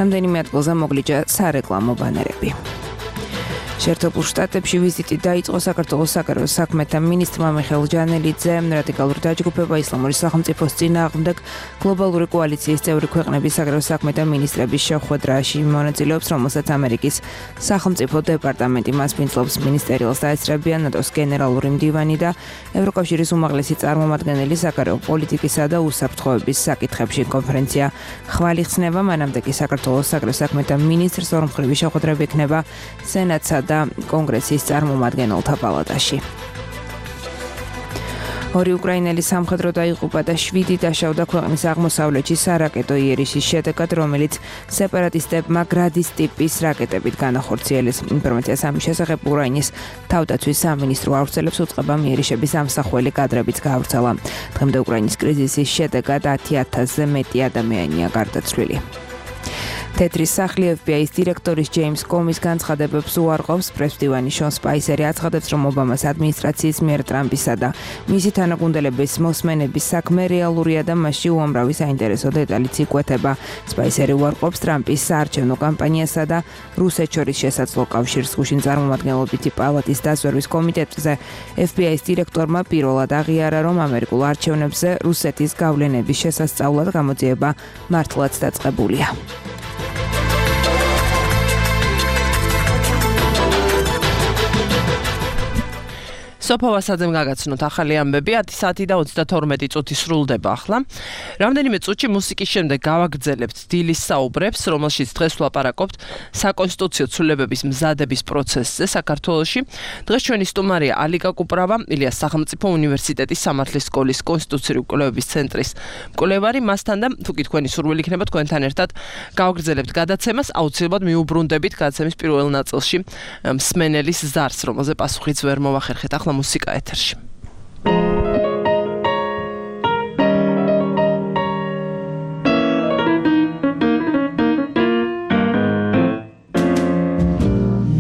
რამდენიმე ადგილზე მოგლიჯა სარეკლამო ბანერები. შეერთებულ შტატებში ვიზიტი დაიწყო საქართველოს საგარეო საქმეთა მინისტრმა მიხეილ ჯანელიძემ. რადიკალური დაჯგუფება ისლამური სახელმწიფოს წინააღმდეგ გლობალური კოალიციის წევრი ქვეყნების საგარეო საქმეთა მინისტრების შეხვედრაში მონაწილეობს, რომელსაც ამერიკის სახელმწიფო დეპარტამენტი მასპინძლობს. მინისტერიალს დაესწრებიან ნატოს გენერალური მდივანი და ევროკავშირის უმაღლესი წარმომადგენელი საგარეო პოლიტიკისა და უსაფრთხოების საკითხებში. კონფერენცია ხვალ იხსნება, მანამდე კი საქართველოს საგარეო საქმეთა მინისტრს ორმხრივი შეხვედრები ექნება სენატსა და კონგრესის წარმომადგენელთა პალატაში. ორი უკრაინელი სამხედრო დაიღუპა და 7 დაშავდა ქვეყნის აღმოსავლეთში სარაკეტო იერიშის შედეგად, რომელიც სეპარატისტებმა გრადის ტიპის რაკეტებით განახორციელეს. ინფორმაციას ამის შესახებ უკრაინის თავდაცვის სამინისტრო ავრცელებს, უწყება იერიშების ამსახველი კადრებიც გაავრცელა. დღემდე უკრაინის კრიზისის შედეგად 10,000-ზე მეტი ადამიანია გარდაცვლილი. თეთრი სახლი FBI-ის დირექტორის ჯეიმს კომის განცხადებებს უარყოფს. პრესდივანი შონ სპაისერი აცხადებს, რომ ობამას ადმინისტრაციის მიერ ტრამპისა და მისი თანაგუნდელების მოსმენების საქმე რეალურია და მასში უამრავი საინტერესო დეტალიც იკვეთება. სპაისერი უარყოფს ტრამპის საარჩევნო კამპანიასა და რუსეთს შორის შესაძლო კავშირს. გუშინ წარმომადგენლობითი პალატის დაზვერვის კომიტეტზე FBI-ის დირექტორმა პირველად აღიარა, რომ ამერიკულ არჩევნებზე რუსეთის გავლენების შესასწავლად გამოძიება მართლაც დაწყებულია. სოფავასაძემ გაგაცნოთ ახალი ამბები. 10 საათი და 32 წუთი სრულდება ახლა. რამდენიმე წუთში მუსიკის შემდეგ გავაგრძელებთ დილის საუბრებს, რომელშიც დღეს ვლაპარაკობთ საკონსტიტუციო ცვლილებების მზადების პროცესზე საქართველოში. დღეს ჩვენი სტუმარია ალიკა კუპრავა, ილიას სახელმწიფო უნივერსიტეტის სამართლის სკოლის კონსტიტუციური კვლევების ცენტრის მკვლევარი. მასთან და თუ კი თქვენი სურვილი იქნება თქვენთან ერთად გავაგრძელებთ გადაცემას, აუცილებლად მიუბრუნდებით გადაცემის პირველ ნაწილში მსმენელის ზარს, რომელზე პასუხიც ვერ მოვახერხეთ. ახლა მუსიკა ეთერში.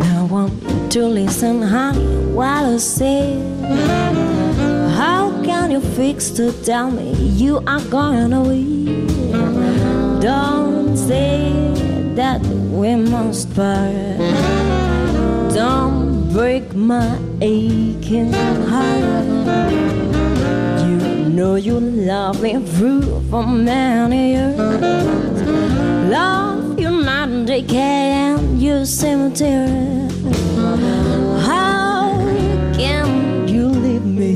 No one to listen, honey, while I say, how can you fix to tell me you are going away? Don't say that we must part. Don't break my aching heart. You know you love me through for many years. Love you night and day, and you cemetery. How can you leave me?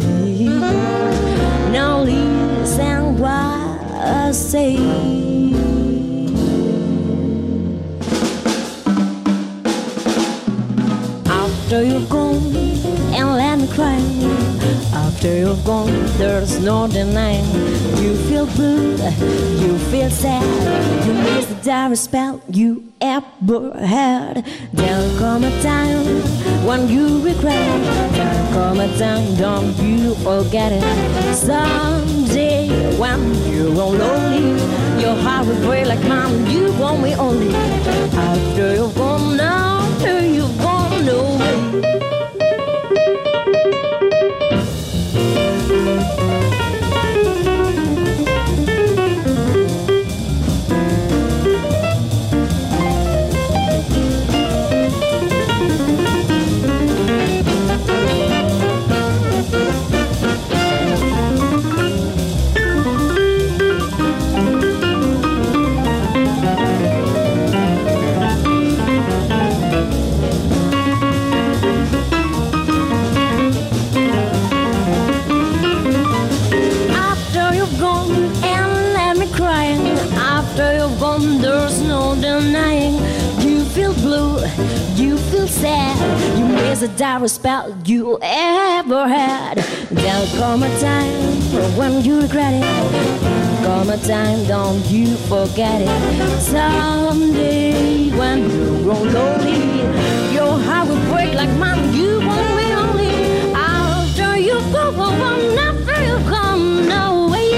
Now listen what I say. After you're gone and let me cry. After you're gone, there's no denying. You feel blue, you feel sad. You miss the direst spell you ever had. There'll come a time when you regret. There'll come a time, don't you forget it. Someday when you're lonely, your heart will break like mine. You want me only. After you're gone, now after you're gone, no way. There's no denying. You feel blue, you feel sad. You miss the direst spell you ever had. There'll come a time when you regret it. Come a time, don't you forget it. Someday when you grow lonely, your heart will break like mine. You won't be only. After you go, after you come, no way.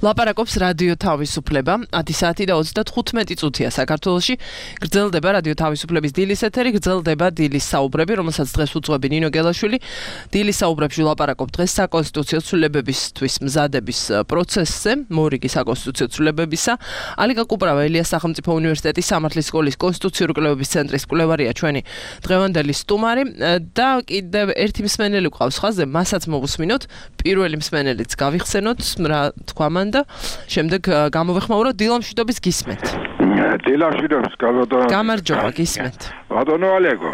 ლაპარაკობს რადიო თავისუფლება 10 საათი და 35 წუთია საქართველოში. გრძელდება რადიო თავისუფლების დილის ეთერი, გრძელდება დილის საუბრები, რომელსაც დღეს უძღვები ნინო გელაშვილი. დილის საუბრებში ვლაპარაკობ დღეს საკონსტიტუციო ცვლილებებისთვის მზადების პროცესზე, მორიგი საკონსტიტუციო ცვლილებებისა. ალიკა კუპრავა ელიას სახელმწიფო უნივერსიტეტის სამართლის სკოლის კონსტიტუციური კვლევების ცენტრის კვლევარია ჩვენი დღევანდელი სტუმარი და კიდევ ერთი მსმენელი გვყავს ხაზზე, მასაც მოვუსმინოთ, პირველი მსმენელიც გავიხსენოთ, რა თქვა მან და შემდეგ გამოვეხმაუროთ დილამშვიდობის გისმენთ. დილამშვიდობის გამარჯობა გისმენთ. ბატონო ალეგო.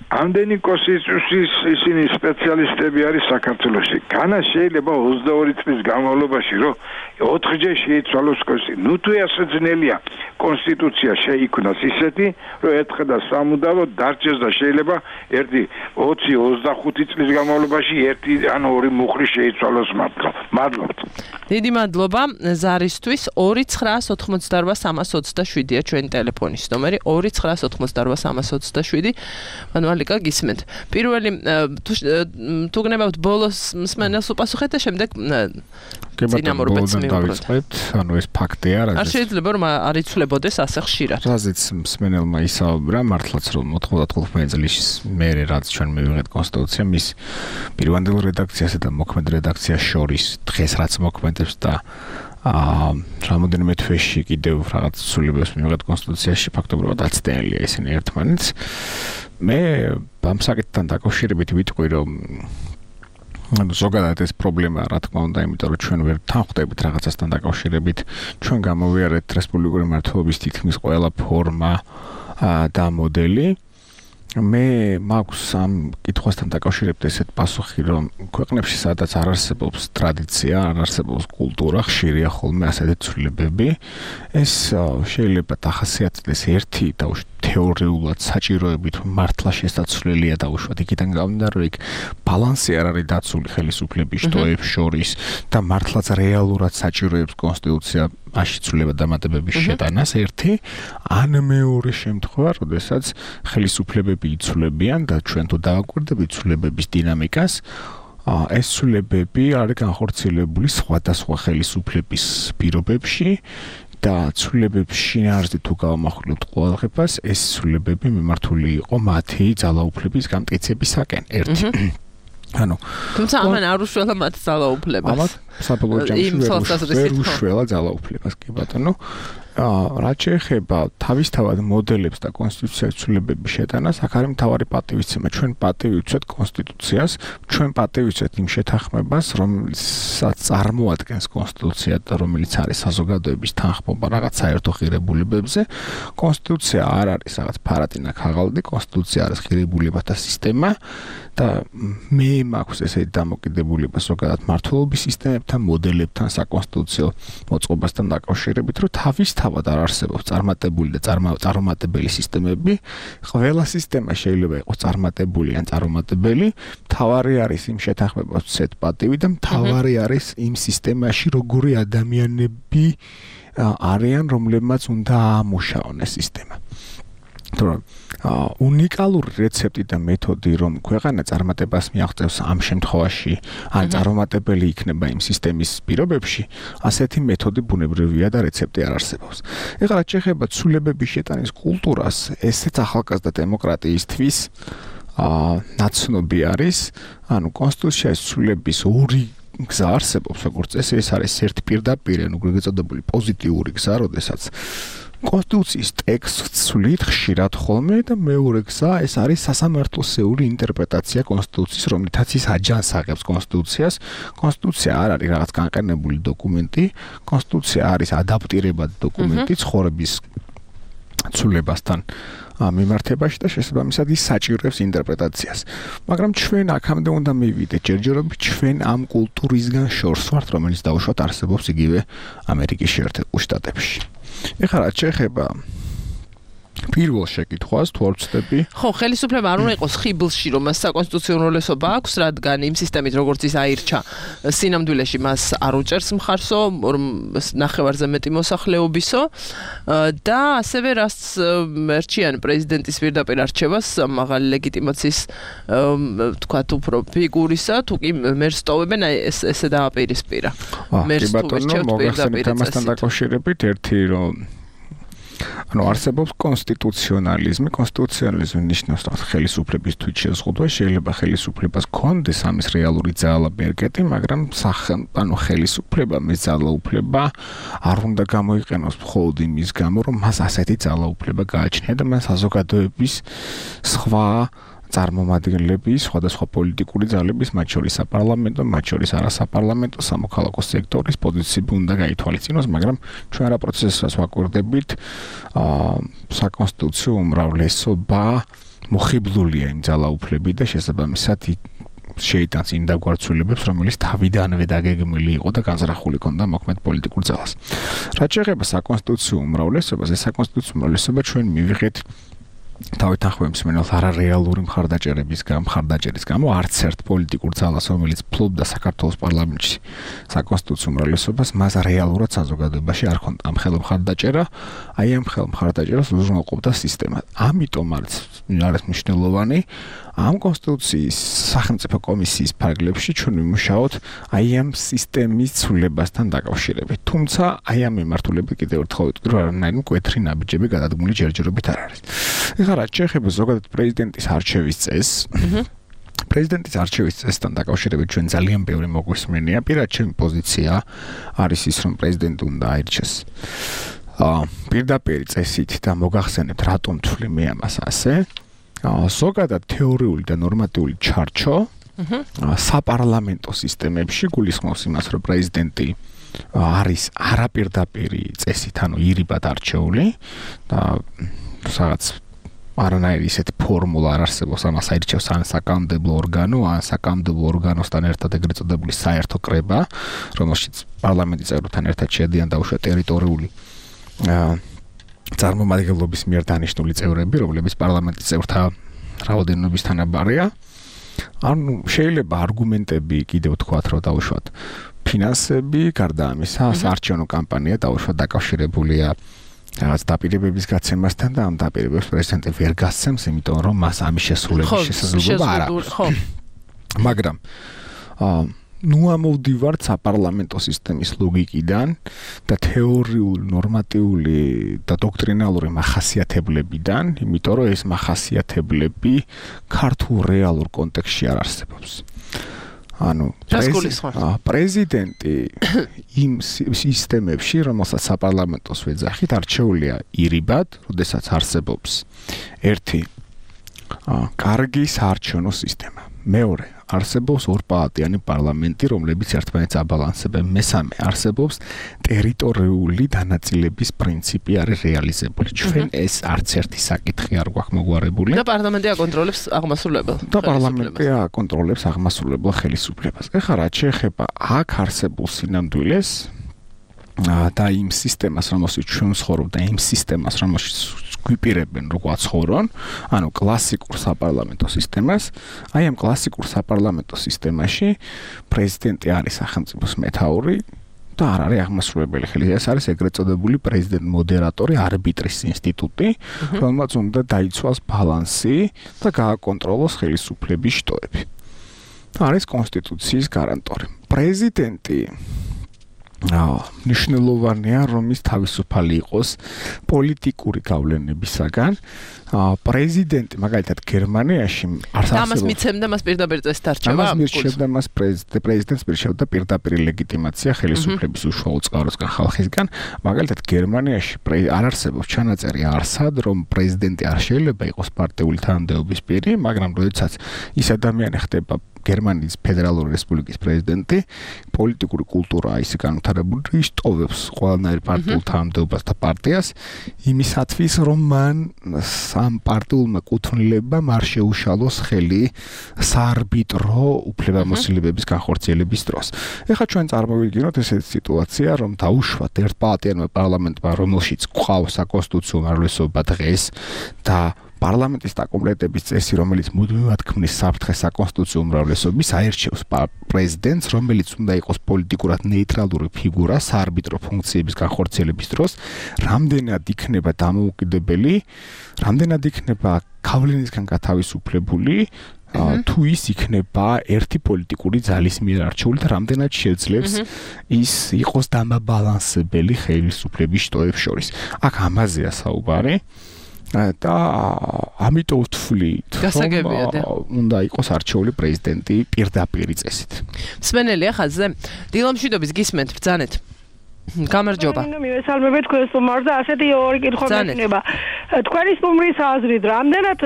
ამდენი კონსტიტუციის ისინი სპეციალისტები არის საქართველოში. განა შეიძლება 22 წლის განმავლობაში რომ 4-ჯერ შეიცვალოს კონსტიტუცია. ნუ თუ ასე ძნელია კონსტიტუცია შეიქმნას ისეთი, რომ ერთხელ და სამუდამოდ დარჩეს და შეიძლება 20-25 წლის განმავლობაში ერთი ან ორი მუხლი შეიცვალოს მართლა. მადლობთ. დიდი მადლობა ზარისთვის 2988327-ია ჩვენი ტელეფონის ნომერი 2988327. ალიკა გისმენთ. პირველი თუ გნებავთ ბოლოს მსმენელს უპასუხეთ და შემდეგ წინამორბედს მივუყუროთ. ანუ ეს ფაქტია რა. არ შეიძლება რომ არ იცვლებოდეს ასე ხშირად. რაზეც მსმენელმა ისაუბრა, მართლაც რომ 95 წლის მერე რაც ჩვენ მივიღეთ კონსტიტუცია, მის პირვანდელ რედაქციასა და მოქმედ რედაქციას შორის დღეს რაც მოქმედებს და რამოდენიმე თვეში კიდევ რაღაც ცვლილებებს მივიღეთ კონსტიტუციაში, ფაქტობრივად აცდენელია ისინი ერთმანეთს. მე ამ საკითხთან დაკავშირებით ვიტყვი რომ ზოგადად ეს პრობლემაა რა თქმა უნდა, იმიტომ რომ ჩვენ ვერ თანხმდებით რაღაცასთან დაკავშირებით, ჩვენ გამოვიარეთ რესპუბლიკური მმართველობის თითქმის ყველა ფორმა და მოდელი. მე მაქვს ამ კითხვასთან დაკავშირებით ესეთ პასუხი, რომ ქვეყნებში სადაც არ არსებობს ტრადიცია, არ არსებობს კულტურა, ხშირია ხოლმე ასეთი ცვლილებები. ეს შეიძლება დახასიათდეს ერთი და თეორიულად საჭიროებით მართლა შესაძლებელია დაუშვათ იქიდან გამომდინარე, რომ იქ ბალანსი არ არის დაცული ხელისუფლების შტოებს შორის და მართლაც რეალურად საჭიროებს კონსტიტუცია მაშინ ცვლილება დამატებების შეტანას ერთი, ან მეორე შემთხვევა, როდესაც ხელისუფლებები იცვლებიან და ჩვენ თუ დავაკვირდებით ცვლილებების დინამიკას, ეს ცვლილებები არის განხორციელებული სხვადასხვა ხელისუფლების პირობებში და ცვლილებების შინაარსი თუ გავამახვილებთ ყურადღებას, ეს ცვლილებები მიმართული იყო მათი ძალაუფლების გამტკიცებისაკენ. ერთი. ანუ თუმცა ამან არ უშველა მათ ძალაუფლებას. ამათ საბოლოო ჯამში ვერ უშველა ძალაუფლებას, კი ბატონო. რაც შეეხება თავისთავად მოდელებს და კონსტიტუციის ცვლილებების შეტანას, აქ არის მთავარი პატივისცემა. ჩვენ პატივი ვცეთ კონსტიტუციას, ჩვენ პატივი ვცეთ იმ შეთანხმებას, რომელსაც წარმოადგენს კონსტიტუცია და რომელიც არის საზოგადოების თანხმობა რაღაც საერთო ღირებულებებზე. კონსტიტუცია არ არის რაღაც ფარატინა ქაღალდი, კონსტიტუცია არის ღირებულებათა სისტემა და მე მაქვს ესეთი დამოკიდებულება ზოგადად მმართველობის სისტემებთან, მოდელებთან, საკონსტიტუციო მოწყობასთან დაკავშირებით, რომ თავისთავად არ არსებობს წარმატებული და წარუმატებელი სისტემები. ყველა სისტემა შეიძლება იყოს წარმატებული ან წარუმატებელი. მთავარი არის იმ შეთანხმებას ვცეთ პატივი და მთავარი არის იმ სისტემაში როგორი ადამიანები არიან, რომლებმაც უნდა აამუშაონ ეს სისტემა. თორემ უნიკალური რეცეპტი და მეთოდი რომ ქვეყანა წარმატებას მიაღწევს ამ შემთხვევაში ან წარუმატებელი იქნება იმ სისტემის პირობებში, ასეთი მეთოდი ბუნებრივია და რეცეპტი არ არსებობს. ეხლა რაც შეეხება ცვლილებების შეტანის კულტურას, ესეც ახალგაზრდა დემოკრატიისთვის ნაცნობი არის, ანუ კონსტიტუციის ცვლილების ორი გზა არსებობს, როგორც წესი, ეს არის ერთი პირდაპირ, ანუ გეწოდებული პოზიტიური გზა, როდესაც კონსტიტუციის ტექსტს ცვლით ხშირად ხოლმე და მეორე გზა ეს არის სასამართლოსეული ინტერპრეტაცია კონსტიტუციის, რომლითაც ის აჯანს აღებს კონსტიტუციას. კონსტიტუცია არ არის რაღაც განყენებული დოკუმენტი, კონსტიტუცია არის ადაპტირებადი დოკუმენტი ცხოვრების ცვლილებასთან მიმართებაში და შესაბამისად ის საჭიროებს ინტერპრეტაციას. მაგრამ ჩვენ აქამდე უნდა მივიდეთ ჯერჯერობით ჩვენ ამ კულტურისგან შორს ვართ, რომელიც დაუშვათ არსებობს იგივე ამერიკის შეერთებულ შტატებში. ეხლა რაც შეეხება პირველ შეკითხვას თუ არ ვწდები. ხო, ხელისუფლება არ უნდა იყოს ხიბლში, რომ მას საკონსტიტუციო უმრავლესობა აქვს, რადგან იმ სისტემით როგორც ის აირჩა, სინამდვილეში მას არ უჭერს მხარსო, ნახევარზე მეტი მოსახლეობისო და ასევე რაც ერჩიან პრეზიდენტის პირდაპირ არჩევას, მაღალი ლეგიტიმაციის თქვათ უფრო ფიგურისა, თუ კი მერს ტოვებენ, ესე დააპირისპირა. მერს თუ ვერჩევთ პირდაპირ ამასთან დაკავშირებით ერთი რომ არსებობს კონსტიტუციონალიზმი. კონსტიტუციონალიზმი ნიშნავს ხელისუფლების თვით შეზღუდვა. შეიძლება ხელისუფლებას ჰქონდეს ამის რეალური ძალა-ბერკეტი, მაგრამ ხელისუფლება მის ძალაუფლება არ უნდა გამოიყენოს მხოლოდ იმის გამო, რომ მას ასეთი ძალაუფლება გააჩნია და მას საზოგადოების სხვა წარმომადგენლები, სხვადასხვა პოლიტიკური ძალების, მათ შორის საპარლამენტო, მათ შორის არასაპარლამენტო, სამოქალაქო სექტორის პოზიციები უნდა გაითვალისწინოს, მაგრამ ჩვენ რა პროცესს ვაკვირდებით, საკონსტიტუციო უმრავლესობა მოხიბლულია იმ ძალაუფლებით და შესაბამისად შეიტანს იმ დაგვარცვლილებებს, რომელიც თავიდანვე დაგეგმილი იყო და განზრახული ჰქონდა მოქმედ პოლიტიკურ ძალას. რაც შეეხება საკონსტიტუციო უმრავლესობას, ეს საკონსტიტუციო უმრავლესობა ჩვენ მივიღეთ თავით ახლა მსმენელს არარეალური მხარდაჭერის გამო არც ერთ პოლიტიკურ ძალას, რომელიც ფლობდა საქართველოს პარლამენტში საკონსტიტუციო უმრავლესობას, მას რეალურად საზოგადოებაში არ ჰქონდა ამ მხარდაჭერა, აი ამ მხარდაჭერას უზრუნველყოფდა სისტემა. ამიტომ არის მნიშვნელოვანი ამ კონსტიტუციის სახელმწიფო კომისიის ფარგლებში ჩვენ ვიმუშაოთ აი ამ სისტემის ცვლილებასთან დაკავშირებით. თუმცა აი ამ მიმართულებით კიდევ ერთხელ ვიტყვი, რომ არანაირი მკვეთრი ნაბიჯები გადადგმული ჯერჯერობით არ არის. ეხლა რაც შეეხება ზოგადად პრეზიდენტის არჩევის წესს, პრეზიდენტის არჩევის წესთან დაკავშირებით ჩვენ ძალიან ბევრი მოგვისმენია. პირად ჩემი პოზიცია არის ის, რომ პრეზიდენტი უნდა აირჩეს პირდაპირ წესით და მოგახსენებთ რატომ თვლი მე ამას ასე. ზოგადად თეორიული და ნორმატიული ჩარჩო საპარლამენტო სისტემებში გულისხმობს იმას, რომ პრეზიდენტი არის არაპირდაპირი წესით, ანუ ირიბად არჩეული და რაღაც არანაირი ისეთი ფორმულა არ არსებობს, ამას აირჩევს ან საკანონმდებლო ორგანო, ან საკანონმდებლო ორგანოსთან ერთად ეგრეთ წოდებული საერთო კრება, რომელშიც პარლამენტის წევრებთან ერთად შედიან დაუშვათ ტერიტორიული წარმომადგენლობის მიერ დანიშნული წევრები, რომლებიც პარლამენტის წევრთა რაოდენობის თანაბარია. ანუ შეიძლება არგუმენტები კიდევ თქვათ, რომ დაუშვათ ფინანსები, გარდა ამისა, საარჩევნო კამპანია დაუშვათ დაკავშირებულია რაღაც დაპირებების გაცემასთან და ამ დაპირებებს პრეზიდენტი ვერ გასცემს, იმიტომ რომ მას ამის შესრულების შესაძლებლობა არ აქვს. მაგრამ ნუ ამოვდივართ საპარლამენტო სისტემის ლოგიკიდან და თეორიული, ნორმატიული და დოქტრინალური მახასიათებლებიდან, იმიტომ რომ ეს მახასიათებლები ქართულ რეალურ კონტექსტში არ არსებობს. ანუ პრეზიდენტი იმ სისტემებში, რომელსაც საპარლამენტოს ვეძახით, არჩეულია ირიბად, როდესაც არსებობს ერთი კარგი საარჩევნო სისტემა. მეორე არსებობს ორპალატიანი პარლამენტი, რომლებიც ერთმანეთს აბალანსებენ. მესამე არსებობს ტერიტორიული დანაწილების პრინციპი არის რეალიზებული. ჩვენ ეს არც ერთი საკითხი არ გვაქვს მოგვარებული. და პარლამენტი აკონტროლებს აღმასრულებელ. და პარლამენტი აკონტროლებს აღმასრულებელ ხელისუფლებას. ეხლა რაც შეეხება აქ არსებულ სინამდვილეს და იმ სისტემას, რომელშიც ჩვენ ვცხოვრობ და იმ სისტემას, რომელშიც გვიპირებენ რო გვაცხოვრონ, ანუ კლასიკურ საპარლამენტო სისტემას, აი ამ კლასიკურ საპარლამენტო სისტემაში პრეზიდენტი არის სახელმწიფოს მეთაური და არ არის აღმასრულებელი ხელი. ეს არის ეგრეთ წოდებული პრეზიდენტ-მოდერატორი, არბიტრის ინსტიტუტი, რომელმაც უნდა დაიცვალოს ბალანსი და გააკონტროლოს ხელისუფლების შტოები. არის კონსტიტუციის გარანტორი. პრეზიდენტი ნიშნულოვანია, რომ ის თავისუფალი იყოს პოლიტიკური გავლენებისაგან. პრეზიდენტი, მაგალითად, გერმანიაში არ არსებობს. ამას მიცემდა მას პირდაპირ წესით არჩევა. ამას მირჩევდა მას პრეზიდენტს მირჩევდა პირდაპირ ლეგიტიმაცია ხელისუფლების უშუალო წყაროსგან, ხალხისგან. მაგალითად, გერმანიაში არ არსებობს ჩანაწერი არსად, რომ პრეზიდენტი არ შეიძლება იყოს პარტიული თანამდებობის პირი, მაგრამ როდესაც ის ადამიანი ხდება გერმანიის ფედერალური რესპუბლიკის პრეზიდენტი პოლიტიკური კულტურა ისე განვითარებული ისტოვებს ყველანაირ პარტიულ თანამდებობას და პარტიას იმისათვის რომ მან სამ პარტიულმა კუთვნილებამ არ შეუშალოს ხელი საარბიტრო უფლებამოსილებების განხორციელების დროს. ეხლა ჩვენ წარმოვიდგინოთ ესეთი სიტუაცია რომ დაუშვათ ერთპალატიანმა პარლამენტმა რომელშიც გვყავს საკონსტიტუციო უმრავლესობა დღეს და პარლამენტის დაკომპლექტების წესი, რომელიც მუდმივად ქმნის საფრთხეს საკონსტიტუციო უმრავლესობის, აირჩევს პრეზიდენტს, რომელიც უნდა იყოს პოლიტიკურად ნეიტრალური ფიგურა საარბიტრო ფუნქციების განხორციელების დროს, რამდენად იქნება დამოუკიდებელი, რამდენად იქნება გავლენისგან გათავისუფლებული, თუ ის იქნება ერთი პოლიტიკური ძალის მიერ არჩეული და რამდენად შეძლებს ის იყოს დამაბალანსებელი ხელისუფლების შტოებს შორის. აქ ამაზეა საუბარი. და ამიტომ ვთვლით, რომ უნდა იყოს არჩეული პრეზიდენტი პირდაპირ წესით. მსმენელია ხაზზე? დილამშვიდობის გისმენთ, ბრძანეთ. გამარჯობა. მივესალმებით თქვენს სტუმარს და ასეთი ორი კითხვა მექნება. თქვენი სტუმრის აზრით, რამდენად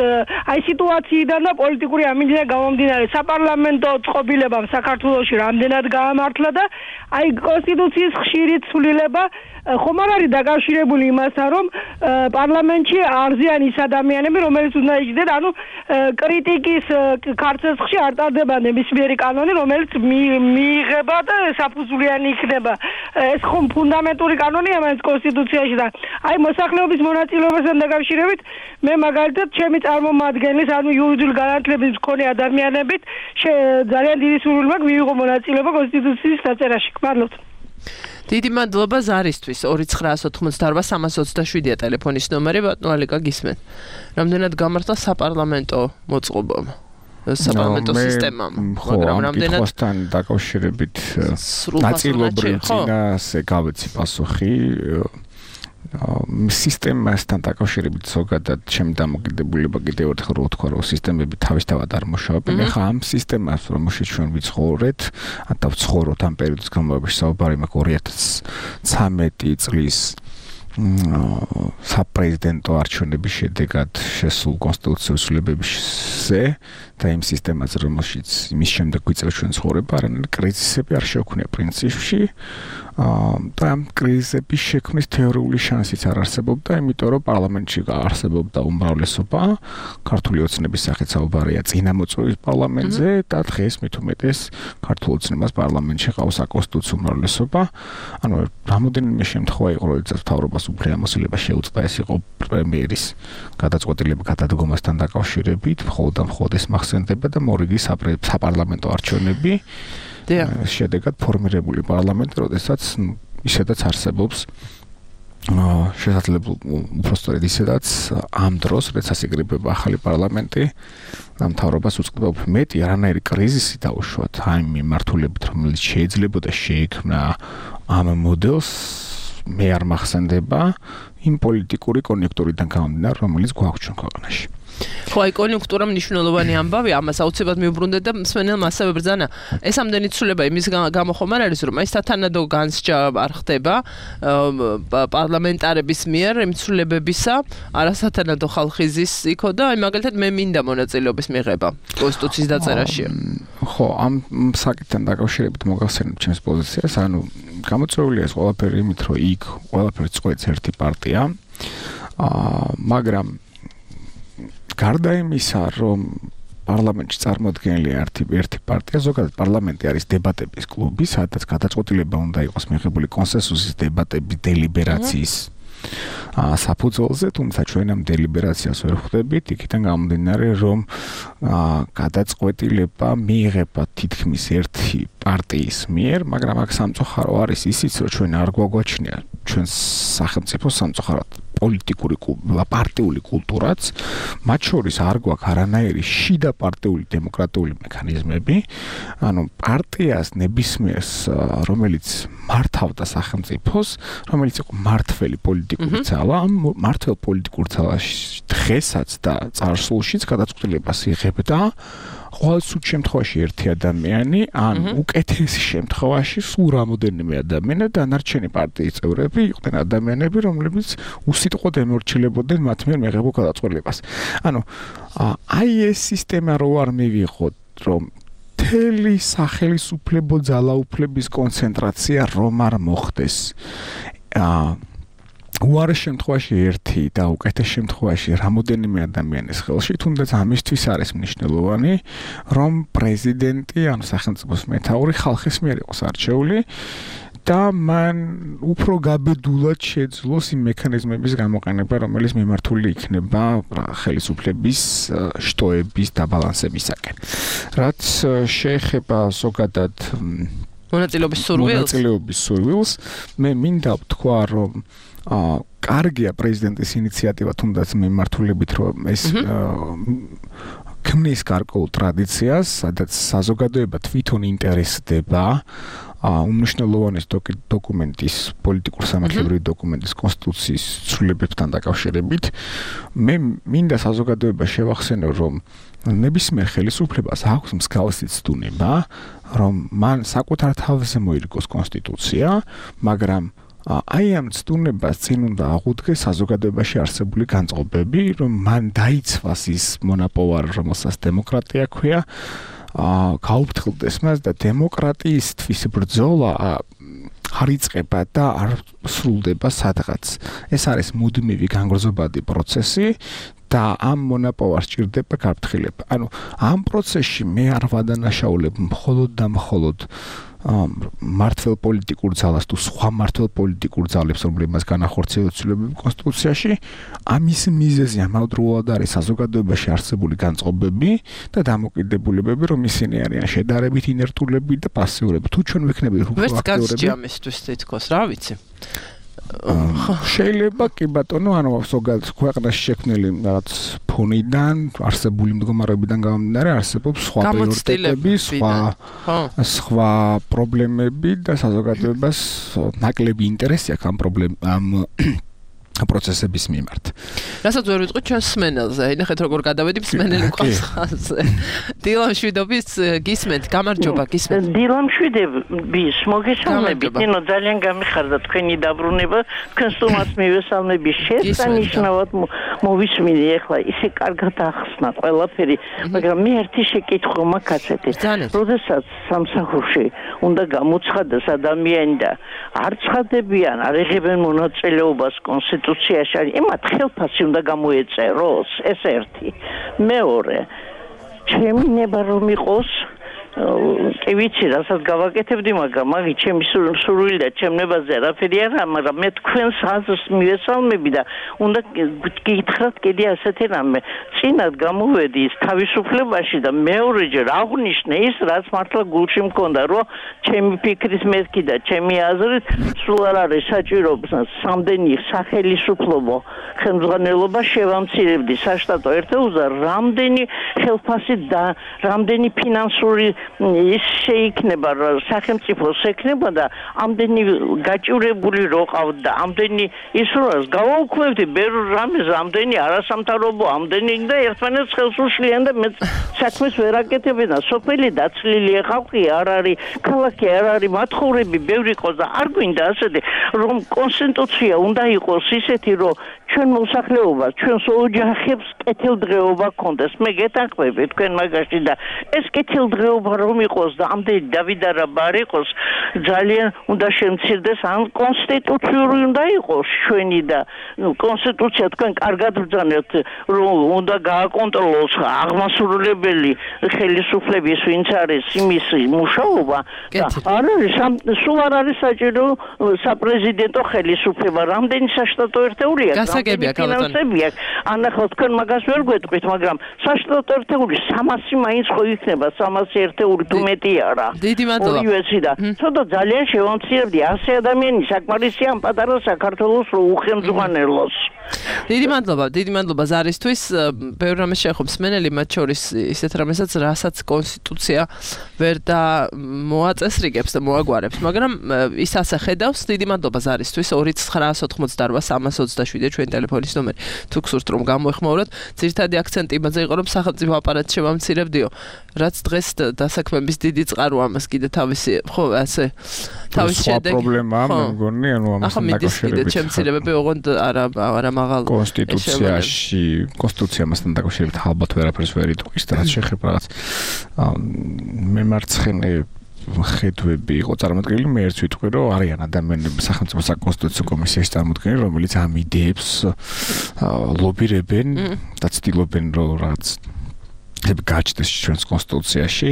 აი სიტუაციიდან და პოლიტიკური ამინდიდან გამომდინარე საპარლამენტო წყობილებამ საქართველოში რამდენად გაამართლა და აი კონსტიტუციის ხშირი ცვლილება ხომ არ არის დაკავშირებული იმასთან, რომ პარლამენტში არზიან ის ადამიანები, რომელიც უნდა იჯდეთ, ანუ კრიტიკის ქარცეცხლში არ ტარდება ნებისმიერი კანონი, რომელიც მიიღება და საფუძვლიანი იქნება. ეს ხომ ფუნდამენტური კანონია მაინც კონსტიტუციაში და აი მოსახლეობის მონაწილეობასთან დაკავშირებით მე მაგალითად ჩემი წარმომადგენლის, ანუ იურიდიული განათლების მქონე ადამიანებით ძალიან დიდი სურვილი მაქვს მიიღო მონაწილეობა კონსტიტუციის დაწერაში. გმადლობთ. დიდი მადლობა ზარისთვის 2988327-ია ტელეფონის ნომერი ბატონო ალიკა გისმენთ. რამდენად გამართლა საპარლამენტო მოწყობამ საპარლამენტო სისტემამ, მაგრამ რამდენად ხოსთან დაკავშირებით ნაწილობრივ წინასე გავეცი პასუხი სისტემასთან დაკავშირებით ზოგადად ჩემი დამოკიდებულება კიდევ ერთხელ რო ვთქვა რომ სისტემები თავისთავად არ მუშაობენ. ეხლა ამ სისტემას რომელშიც ჩვენ ვიცხოვრეთ და ვცხოვრობთ ამ პერიოდის განმავლობაში საუბარი მაქვს 2013 წლის საპრეზიდენტო არჩევნების შედეგად შესულ კონსტიტუციურ ცვლილებებზე და იმ სისტემაზე რომელშიც იმის შემდეგ ვიწერეთ ჩვენ ცხოვრება არანაირი კრიზისები არ შეუქმნია პრინციპში და ამ კრიზისების შექმნის თეორიული შანსიც არ არსებობდა, იმიტომ რომ პარლამენტში არსებობდა უმრავლესობა, ქართული ოცნების სახით საუბარია წინამოწვევის პარლამენტზე და დღეს მით უმეტეს ქართულ ოცნებას პარლამენტში ყავს საკონსტიტუციო უმრავლესობა. ანუ რამოდენიმე შემთხვევა იყო, როდესაც მთავრობას უფლებამოსილება შეუწყდა, ეს იყო პრემიერის გადაწყვეტილება გადადგომასთან დაკავშირებით, მხოლოდ და მხოლოდ ეს მახსენდება და მორიგი საპარლამენტო არჩევნები შედეგად ფორმირებული პარლამენტი, როდესაც ისედაც არსებობს შესაძლებლობა უბრალოდ ისედაც ამ დროს, როდესაც იკრიბება ახალი პარლამენტი, მთავრობას უწყდება უფრო მეტი არანაირი კრიზისი დაუშვათ ამ მიმართულებით, რომელიც შეიძლებოდა შეექმნა ამ მოდელს მე არ მახსენდება იმ პოლიტიკური კონიუნქტურიდან გამომდინარე, რომელიც გვაქვს ჩვენ ქვეყანაში. ხო, აი კონიუნქტურა მნიშვნელოვანი ამბავია, ამას აუცილებლად მიუბრუნდეთ და მსმენელმა ასევე ბრძანა. ეს ამდენი ცვლილება იმის გამო ხომ არ არის, რომ აი სათანადო განსჯა არ ხდება პარლამენტარების მიერ იმ ცვლილებებისა, არასათანადო ხალხიზის იქო და აი მაგალითად მე მინდა მონაწილეობის მიღება კონსტიტუციის დაწერაში. ხო, ამ საკითხთან დაკავშირებით მოგახსენებ ჩემს პოზიციას, ანუ გამოწვეულია ეს ყველაფერი იმით, რომ იქ ყველაფერს წყვეტს ერთი პარტია, მაგრამ გარდა იმისა, რომ პარლამენტში წარმოადგენელი ერთი პარტია, ზოგადად პარლამენტი არის დებატების კლუბი, სადაც გადაწყვეტილება უნდა იყოს მიღებული კონსენსუსის დებატების დელიბერაციის საფუძველზე, თუმცა ჩვენ ამ დელიბერაციას ვერ ხვდებით, იქიდან გამომდინარე, რომ გადაწყვეტილება მიიღება თითქმის ერთი პარტიის მიერ, მაგრამ აქ სამწუხარო არის ისიც, რომ ჩვენ არ გვაგვაჩნია ჩვენ სახელმწიფო სამწუხაროდ პოლიტიკური პარტიული კულტურაც, მათ შორის არ გვაქვს არანაირი შიდა პარტიული დემოკრატიული მექანიზმები, ანუ პარტიას ნებისმიერს, რომელიც მართავდა სახელმწიფოს, რომელიც იყო მართველი პოლიტიკური ძალა, ამ მართველ პოლიტიკურ ძალაში დღესაც და წარსულშიც გადაწყვეტილებას იღებდა ყოველ შემთხვევაში ერთი ადამიანი, ან უკეთეს შემთხვევაში სულ რამოდენიმე ადამიანი და დანარჩენი პარტიის წევრები იყვნენ ადამიანები, რომლებიც უსიტყვოდ ემორჩილებოდნენ მათ მიერ მიღებულ გადაწყვეტილებას. ანუ აი ეს სისტემა რო არ მივიღოთ, რომ მთელი სახელმწიფო ძალაუფლების კონცენტრაცია რომ არ მოხდეს. უარეს შემთხვევაში ერთი და უკეთეს შემთხვევაში რამოდენიმე ადამიანის ხელში, თუნდაც ამისთვის არის მნიშვნელოვანი, რომ პრეზიდენტი, ანუ სახელმწიფოს მეთაური ხალხის მიერ იყოს არჩეული და მან უფრო გაბედულად შეძლოს იმ მექანიზმების გამოყენება, რომელიც მიმართული იქნება ხელისუფლების შტოების დაბალანსებისაკენ. რაც შეეხება ზოგადად მონაწილეობის სურვილს, მე მინდა ვთქვა, რომ კარგია პრეზიდენტის ინიციატივა, თუნდაც მიმართულებით, რომ ეს ქმნის გარკვეულ ტრადიციას, სადაც საზოგადოება თვითონ ინტერესდება უმნიშვნელოვანეს დოკუმენტის, პოლიტიკურ-სამართლებრივი დოკუმენტის კონსტიტუციის ცვლილებებთან დაკავშირებით. მე მინდა საზოგადოება შევახსენო, რომ ნებისმიერ ხელისუფლებას აქვს მსგავსი ცდუნება, რომ მან საკუთარ თავზე მოირგოს კონსტიტუცია, მაგრამ აი ამ ცდუნებას წინ უნდა აღუდგეს საზოგადოებაში არსებული განწყობები, რომ მან დაიცვას ის მონაპოვარი, რომელსაც დემოკრატია ქვია, გაუფრთხილდეს მას და დემოკრატიისთვის ბრძოლა არ იწყება და არ სრულდება სადღაც. ეს არის მუდმივი განგრძობადი პროცესი და ამ მონაპოვარს ჭირდება გაფრთხილება. ანუ ამ პროცესში მე არ ვადანაშაულებ მხოლოდ და მხოლოდ მართლ პოლიტიკურ ძალას თუ სხვა მართლ პოლიტიკურ ძალებს, რომლებმაც განახორციელეს ცვლილებები კონსტიტუციაში, ამის მიზეზი ამავდროულად არის საზოგადოებაში არსებული განწყობები და დამოკიდებულებები, რომ ისინი არიან შედარებით ინერტულები და პასიურები. თუ ჩვენ ვიქნებით უფრო აქტიურები, ვერც განსჯამისთვის თითქოს, რა ვიცი. შეიძლება კი ბატონო, ანუ ზოგადად ქვეყანაში შექმნილი რაღაც ფონიდან, არსებული მდგომარეობიდან გამომდინარე, არსებობს სხვა პრიორიტეტები, სხვა პრობლემები და საზოგადოებას ნაკლები ინტერესი აქვს ამ პროცესების მიმართ. რასაც ვერ ვიტყვით ჩვენს სმენელზე. ნახეთ როგორ გადავედი სმენელი ყანხაზე. დილამ შვიდობის გისმენთ, გამარჯობა გისმენთ. დილამ შვიდობის მოგესალმებით. ნინო ძალიან გამიხარდა თქვენი დაბრუნება, თქვენ სტუმარს მივესალმები. შესანიშნავად მოვისმინე ახლა ისე კარგად ახსნა ყველაფერი, მაგრამ მე ერთი შეკითხვა მაქვს. როდესაც სამსახურში უნდა გამოცხადდეს ადამიანი და არ ცხადებიან, არ იღებენ მონაწილეობას კონსტიტუციაში, იმათ ხელფასი უნდა გამოეწეროს, ეს ერთი. მეორე, ჩემი ნება რომ იყოს, კი ვიცი, რასაც გავაკეთებდი, მაგრამ მაგით ჩემი სურვილი და ჩემნებაზე არაფერი არა, მაგრამ მე თქვენს აზრს მივესალმები და უნდა გითხრათ კიდე ასეთი რამე. წინათ გამოვედი თავისუფლებაში და მეორეჯერ აღვნიშნე ის, რაც მართლა გულში მქონდა, რომ ჩემი ფიქრის მეთქი და ჩემი აზრით სულ არ არის საჭირო სამდენი სახელმწიფო ხელმძღვანელობა შევამცირებდი საშტატო ერთეულზე, რამდენი ხელფასი და რამდენი ფინანსური ის შეიქნება, სახელმწიფოს ექნება და ამდენი გაჭირებული რო ყავთ და ამდენი ის როას გავაუქმებდი ბევრ რამეს, ამდენი არასამთავრობო, ამდენი და ერთმანეთს ხელს უშლიან და მე საქმეს ვერ აკეთებენ და სოფელი დაცლილი ხალხი არ არის, ქალაქი არ არის, მათხოვრები ბევრი ყოს და არ გვინდა ასეთი, რომ კონსტიტუცია უნდა იყოს ისეთი, რომ ჩვენ მოსახლეობას, ჩვენს ოჯახებს კეთილდღეობა გქონდეს. მე გეთანხმები თქვენ მაგაში და ეს კეთილდღეობა რომ იყოს და ამდენი დავიდარება არ იყოს, ძალიან უნდა შემცირდეს, ან კონსტიტუციური უნდა იყოს ჩვენი და კონსტიტუცია თქვენ კარგად ბრძანებთ, რომ უნდა გააკონტროლოს აღმასრულებელი ხელისუფლების ვინც არის იმის მუშაობა და არ არის სულ არ არის საჭირო საპრეზიდენტო ხელისუფლება, რამდენი საშტატო ერთეულია, გასაგებია ფინანსებია. ანახავთ თქვენ მაგას ვერ გვეტყვით, მაგრამ საშტატო ერთეული 300 მაინც ხო იქნება, 300 ერთეული თუ მეტი არა. დიდი მადლობა. ორივეცი და ცოტა ძალიან შევამცირებდი 100 ადამიანი საკმარისია ამ პატარა საქართველოს რო უხელმძღვანელოს. დიდი მადლობა ზარისთვის. ბევრ რამეს შეეხობს სმენელი, მათ შორის ისეთ რამესაც, რასაც კონსტიტუცია ვერ და მოაწესრიგებს და მოაგვარებს, მაგრამ ის ასე ხედავს. დიდი მადლობა ზარისთვის. 2988 327 ტელეფონის ნომერი. თუ გსურთ რომ გამოეხმაუროთ, ძირითადი აქცენტი იმაზე იყო რომ სახელმწიფო აპარატი შევამცირებდიო, რაც დღეს დასაქმების დიდი წყარო ამას კიდე თავისი ხო ასე თავის შედეგი პრობლემაა მე მგონი ანუ ამასთან დაკავშირებით შემცირებები ოღონდ არა მაღალ კონსტიტუცია მასთან დაკავშირებით ალბათ ვერაფერს ვერ იტყვის და რაც შეეხება რაღაც მემარცხენე ხედვები იყო წარმოდგენილი მე ერთ ვიტყვი რომ არიან ადამიანები სახელმწიფო საკონსტიტუციო კომისიის წარმოდგენილი რომელიც ამ იდეებს ლობირებენ და ცდილობენ რომ რაღაც გაჩნდეს ჩვენს კონსტიტუციაში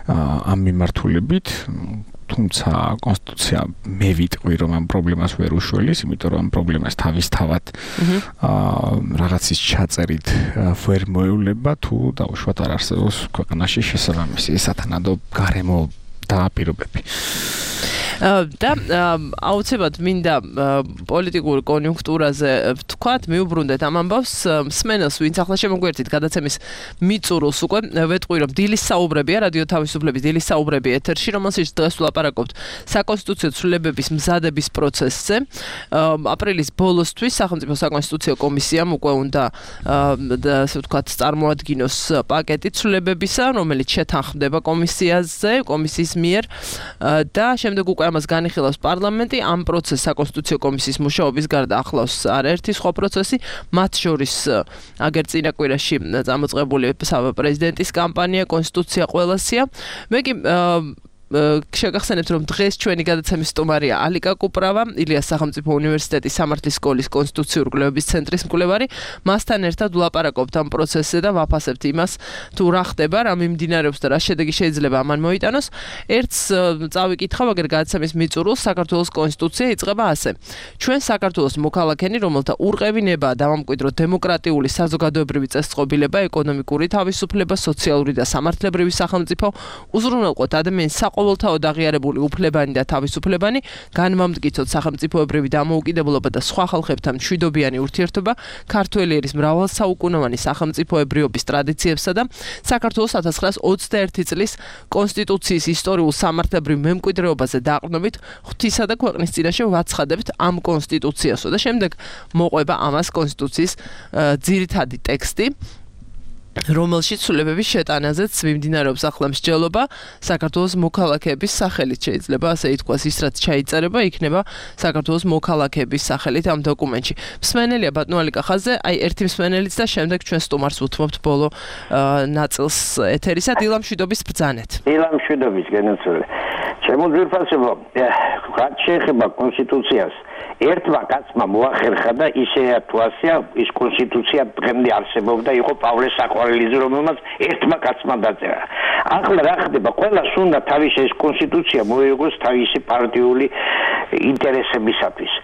ამ მიმართულებით თუმცა კონსტიტუცია მე ვიტყვი რომ ამ პრობლემას ვერ უშველის იმიტომ რომ ამ პრობლემას თავისთავად რაღაცის ჩაწერით ვერ მოევლება თუ დაუშვათ არ არსებობს ქვეყანაში შესაბამისი სათანადო გარემო დააპირობები და აუცილებლად მინდა პოლიტიკურ კონიუნქტურაზე ვთქვათ, მიუბრუნდეთ ამ ამბავს, მსმენელს ვინც ახლა შემოგვერთით გადაცემის მიწურულს უკვე ვეტყვი რომ დილის საუბრებია რადიო თავისუფლების დილის საუბრები ეთერში, რომელშიც დღეს ვლაპარაკობთ საკონსტიტუციო ცვლილებების მზადების პროცესზე. აპრილის ბოლოსთვის სახელმწიფო საკონსტიტუციო კომისიამ უკვე უნდა ასე ვთქვათ წარმოადგინოს პაკეტი ცვლილებებისა, რომელიც შეთანხმდება კომისიის მიერ და შემდეგ უკვე ამას განიხილავს პარლამენტი ამ პროცესს საკონსტიტუციო კომისიის მუშაობის გარდა ახლავს არაერთი სხვა პროცესი მათ შორის აგერ წინა კვირაში წამოწყებული პრეზიდენტის კამპანია კონსტიტუცია ყველასია მე კი შეგახსენებთ რომ დღეს ჩვენი გადაცემის სტუმარია ალიკა კუპრავა ილიას სახელმწიფო უნივერსიტეტის სამართლის სკოლის კონსტიტუციური კვლევების ცენტრის მკვლევარი მასთან ერთად ვლაპარაკობთ ამ პროცესზე და ვაფასებთ იმას თუ რა ხდება რა მიმდინარეობს და რა შედეგი შეიძლება ამან მოიტანოს ერთს წავიკითხავ აგერ გადაცემის მიწურულს საქართველოს კონსტიტუცია იწყება ასე ჩვენ საქართველოს მოქალაქენი რომელთა ურყევინება დავამკვიდრო დემოკრატიული საზოგადოებრივი წესწყობილება ეკონომიკური თავისუფლება სოციალური და სამართლებრივი სახელმწიფო უზრუნველყოფ ადამიანის ყოველთაოდ აღიარებული უფლებანი და თავისუფლებანი, განმამტკიცოთ სახელმწიფოებრივი დამოუკიდებლობა და სხვა ხალხებთან მშვიდობიანი ურთიერთობა, ქართველი ერის მრავალსაუკუნოვანი სახელმწიფოებრიობის ტრადიციებსა და საქართველოს 1921 წლის კონსტიტუციის ისტორიულ სამართლებრივ მემკვიდრეობაზე დაყრდნობით ღვთისა და ქვეყნის წინაშე ვაცხადებთ ამ კონსტიტუციასო და შემდეგ მოყვება ამას კონსტიტუციის ძირითადი ტექსტი რომელშიც ცვლილებების შეტანაზეც მიმდინარეობს ახლა მსჯელობა საქართველოს მოქალაქეების სახელით შეიძლება ასე ითქვას ის რაც ჩაიწერება იქნება საქართველოს მოქალაქეების სახელით ამ დოკუმენტში მსმენელია ბატონო ალიკა ხაზზე აი ერთი მსმენელიც და შემდეგ ჩვენ სტუმარს უთმობთ ბოლო ნაწილს ეთერისა დილა მშვიდობის ბრძანეთ დილა მშვიდობის გენაცვლე ჩემო ძირფასებო რაც შეეხება კონსტიტუციას ერთმა კაცმა მოახერხა და ისეა თუ ასეა ის კონსტიტუცია დღემდე არსებობდა იყო პავლე საყვარელიძე რომელმაც ერთმა კაცმა დაწერა ახლა რა ხდება ყველას უნდა თავისი ეს კონსტიტუცია მოიგოს თავისი პარტიული ინტერესებისათვის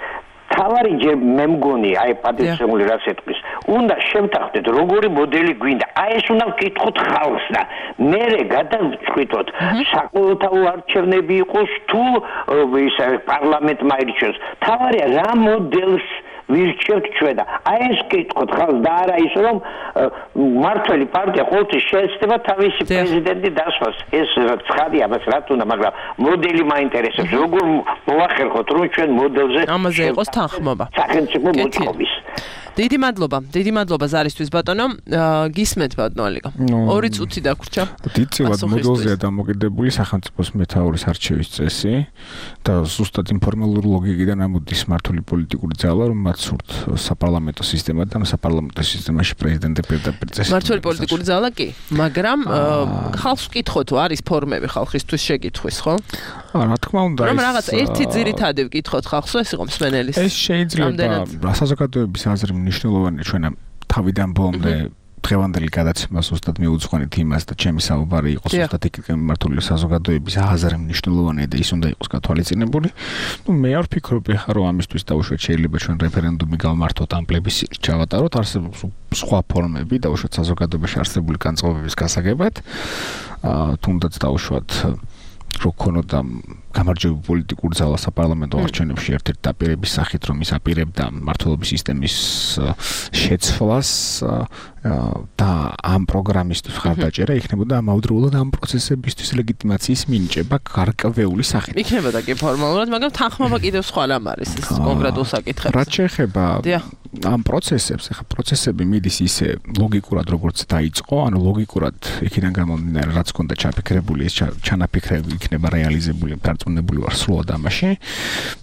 თავარი ჯერ მე მგონი აი პატივცემული რაც ეთქვის უნდა შევთანხმდეთ როგორი მოდელი გვინდა აი ეს უნდა ვკითხოთ ხალხს და მერე გადავწყვიტოთ საკუთაო არჩევნები იყოს თუ ის პარლამენტმა ირჩევს თავარია რა მოდელს ვირჩევთ ჩვენ და აი ეს კითხოთ ხალხს და არა ის რომ მართველი პარტია ყოველთვის შეეცდება თავისი პრეზიდენტი დასვას ეს ცხადია მას რა თქმა უნდა მაგრამ მოდელი მაინტერესებს როგორ მოახერხოთ რომ ჩვენ მოდელზე ამაზე იყოს თანხმობა სახელმწიფო მოწყობის დიდი მადლობა ზარისთვის ბატონო გისმენთ ბატონო ალიკა ორი წუთი დაგვრჩა დიდწილად მოდელზეა დამოკიდებული სახელმწიფოს მეთაურის არჩევის წესი და ზუსტად ინფორმალური ლოგიკიდან ამოდის მართული პოლიტიკური ძალა რომ მათ სურთ საპარლამენტო სისტემა და საპარლამენტო სისტემაში პრეზიდენტი პირდაპირ წესი მართული პოლიტიკური ძალა კი მაგრამ ხალხს ვკითხოთ არის ფორმები ხალხისთვის შეკითხვის ხო რა თქმა უნდა რომ რაღაც ერთი ძირითადი ვკითხოთ ხალხს ეს იყო მსმენელის ეს შეიძლება საზოგადოების აზრი მნიშვნელოვანია ჩვენ თავიდან ბოლომდე დღევანდელი გადაცემა ზუსტად მიუძღვენით იმას და ჩემი საუბარი იყო ზუსტად იქით მიმართული საზოგადოების აზრი მნიშვნელოვანია და ის უნდა იყოს გათვალისწინებული. მე არ ვფიქრობ რომ ამისთვის დაუშვათ შეიძლება ჩვენ რეფერენდუმი გავმართოთ ამ პლებისციტი ჩავატაროთ არსებობს სხვა ფორმები დაუშვათ საზოგადოებაში არსებული განწყობების გასაგებად თუნდაც დაუშვათ რო ქონოდა გამარჯვებული პოლიტიკური ძალა საპარლამენტო არჩევნებში ერთ-ერთი დაპირების სახით რომ ის აპირებდა მმართველობის სისტემის შეცვლას და ამ პროგრამისთვის ხარდაჭერა იქნებოდა ამავდროულად ამ პროცესებისთვის ლეგიტიმაციის მინიჭება გარკვეული სახით. იქნებოდა კი ფორმალურად, მაგრამ თანხმობა კიდევ სხვა რამ არის ეს კონკრეტულ საკითხებზე. რაც შეეხება ამ პროცესებს, ახლა პროცესები მიდის ისე ლოგიკურად როგორც დაიწყო, ანუ ლოგიკურად იქიდან გამომდინარე რაც ქონდა ჩაფიქრებული, ეს ჩანაფიქრები იქნება რეალიზებული, დარწმუნებული ვარ სრულად ამაში.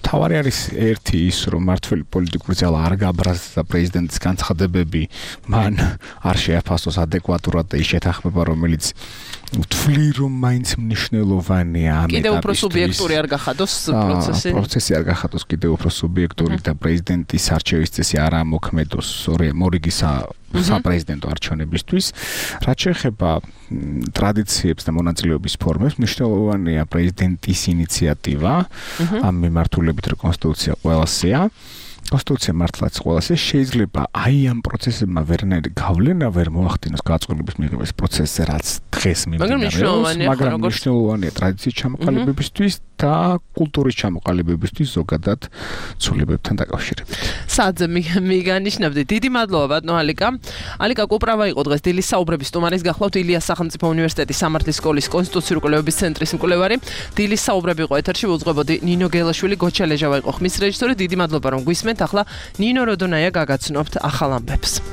თავარი არის ერთი ის, რომ მართველი პოლიტიკური ძალა არ გაბრაზდა პრეზიდენტის განცხადებები, მან არ შეაფასოს ადეკვატურად და ის შეთანხმება, რომელიც ვთვლი რომ მაინც მნიშვნელოვანია ამ ეტაპისთვის. კიდევ უფრო სუბიექტური არ გახადოს პროცესი? პროცესი არ გახადოს კიდევ უფრო სუბიექტური და პრეზიდენტის არჩევის წესი არ ამოქმედოს მორიგი საპრეზიდენტო არჩევნებისთვის. რაც შეეხება ტრადიციებს და მონაწილეობის ფორმებს, მნიშვნელოვანია პრეზიდენტის ინიციატივა ამ მიმართულებით, რომ კონსტიტუცია ყველასია. კონსტიტუცია მართლაც ყველასე შეიძლება აი ამ პროცესებმა ვერნაირი გავლენა ვერ მოახდინოს გაწყვეტილების მიღების პროცესზე, რაც დღეს მიმდინარეობს, მაგრამ მნიშვნელოვანია ტრადიციის ჩამოყალიბებისთვის და კულტურის ჩამოყალიბებისთვის ზოგადად ცვლილებებთან დაკავშირებით. სადზე მიგანიშნებდი. დიდი მადლობა ბატონო ალიკა. ალიკა კუპრავა იყო დღეს დილის საუბრების სტუმარის, გახლავთ ილიას სახელმწიფო უნივერსიტეტის სამართლის სკოლის კონსტიტუციური კვლევების ცენტრის მკვლევარი. დილის საუბრები იყო ეთერში, უძღვებოდი ნინო გელაშვილი, გოჩა ლეჟავა იყო ხმის რეჟისორი. დიდი მადლობა რომ გვისმენთ. ახლა ნინო როდონაია გაგაცნობთ ახალ ამბებს.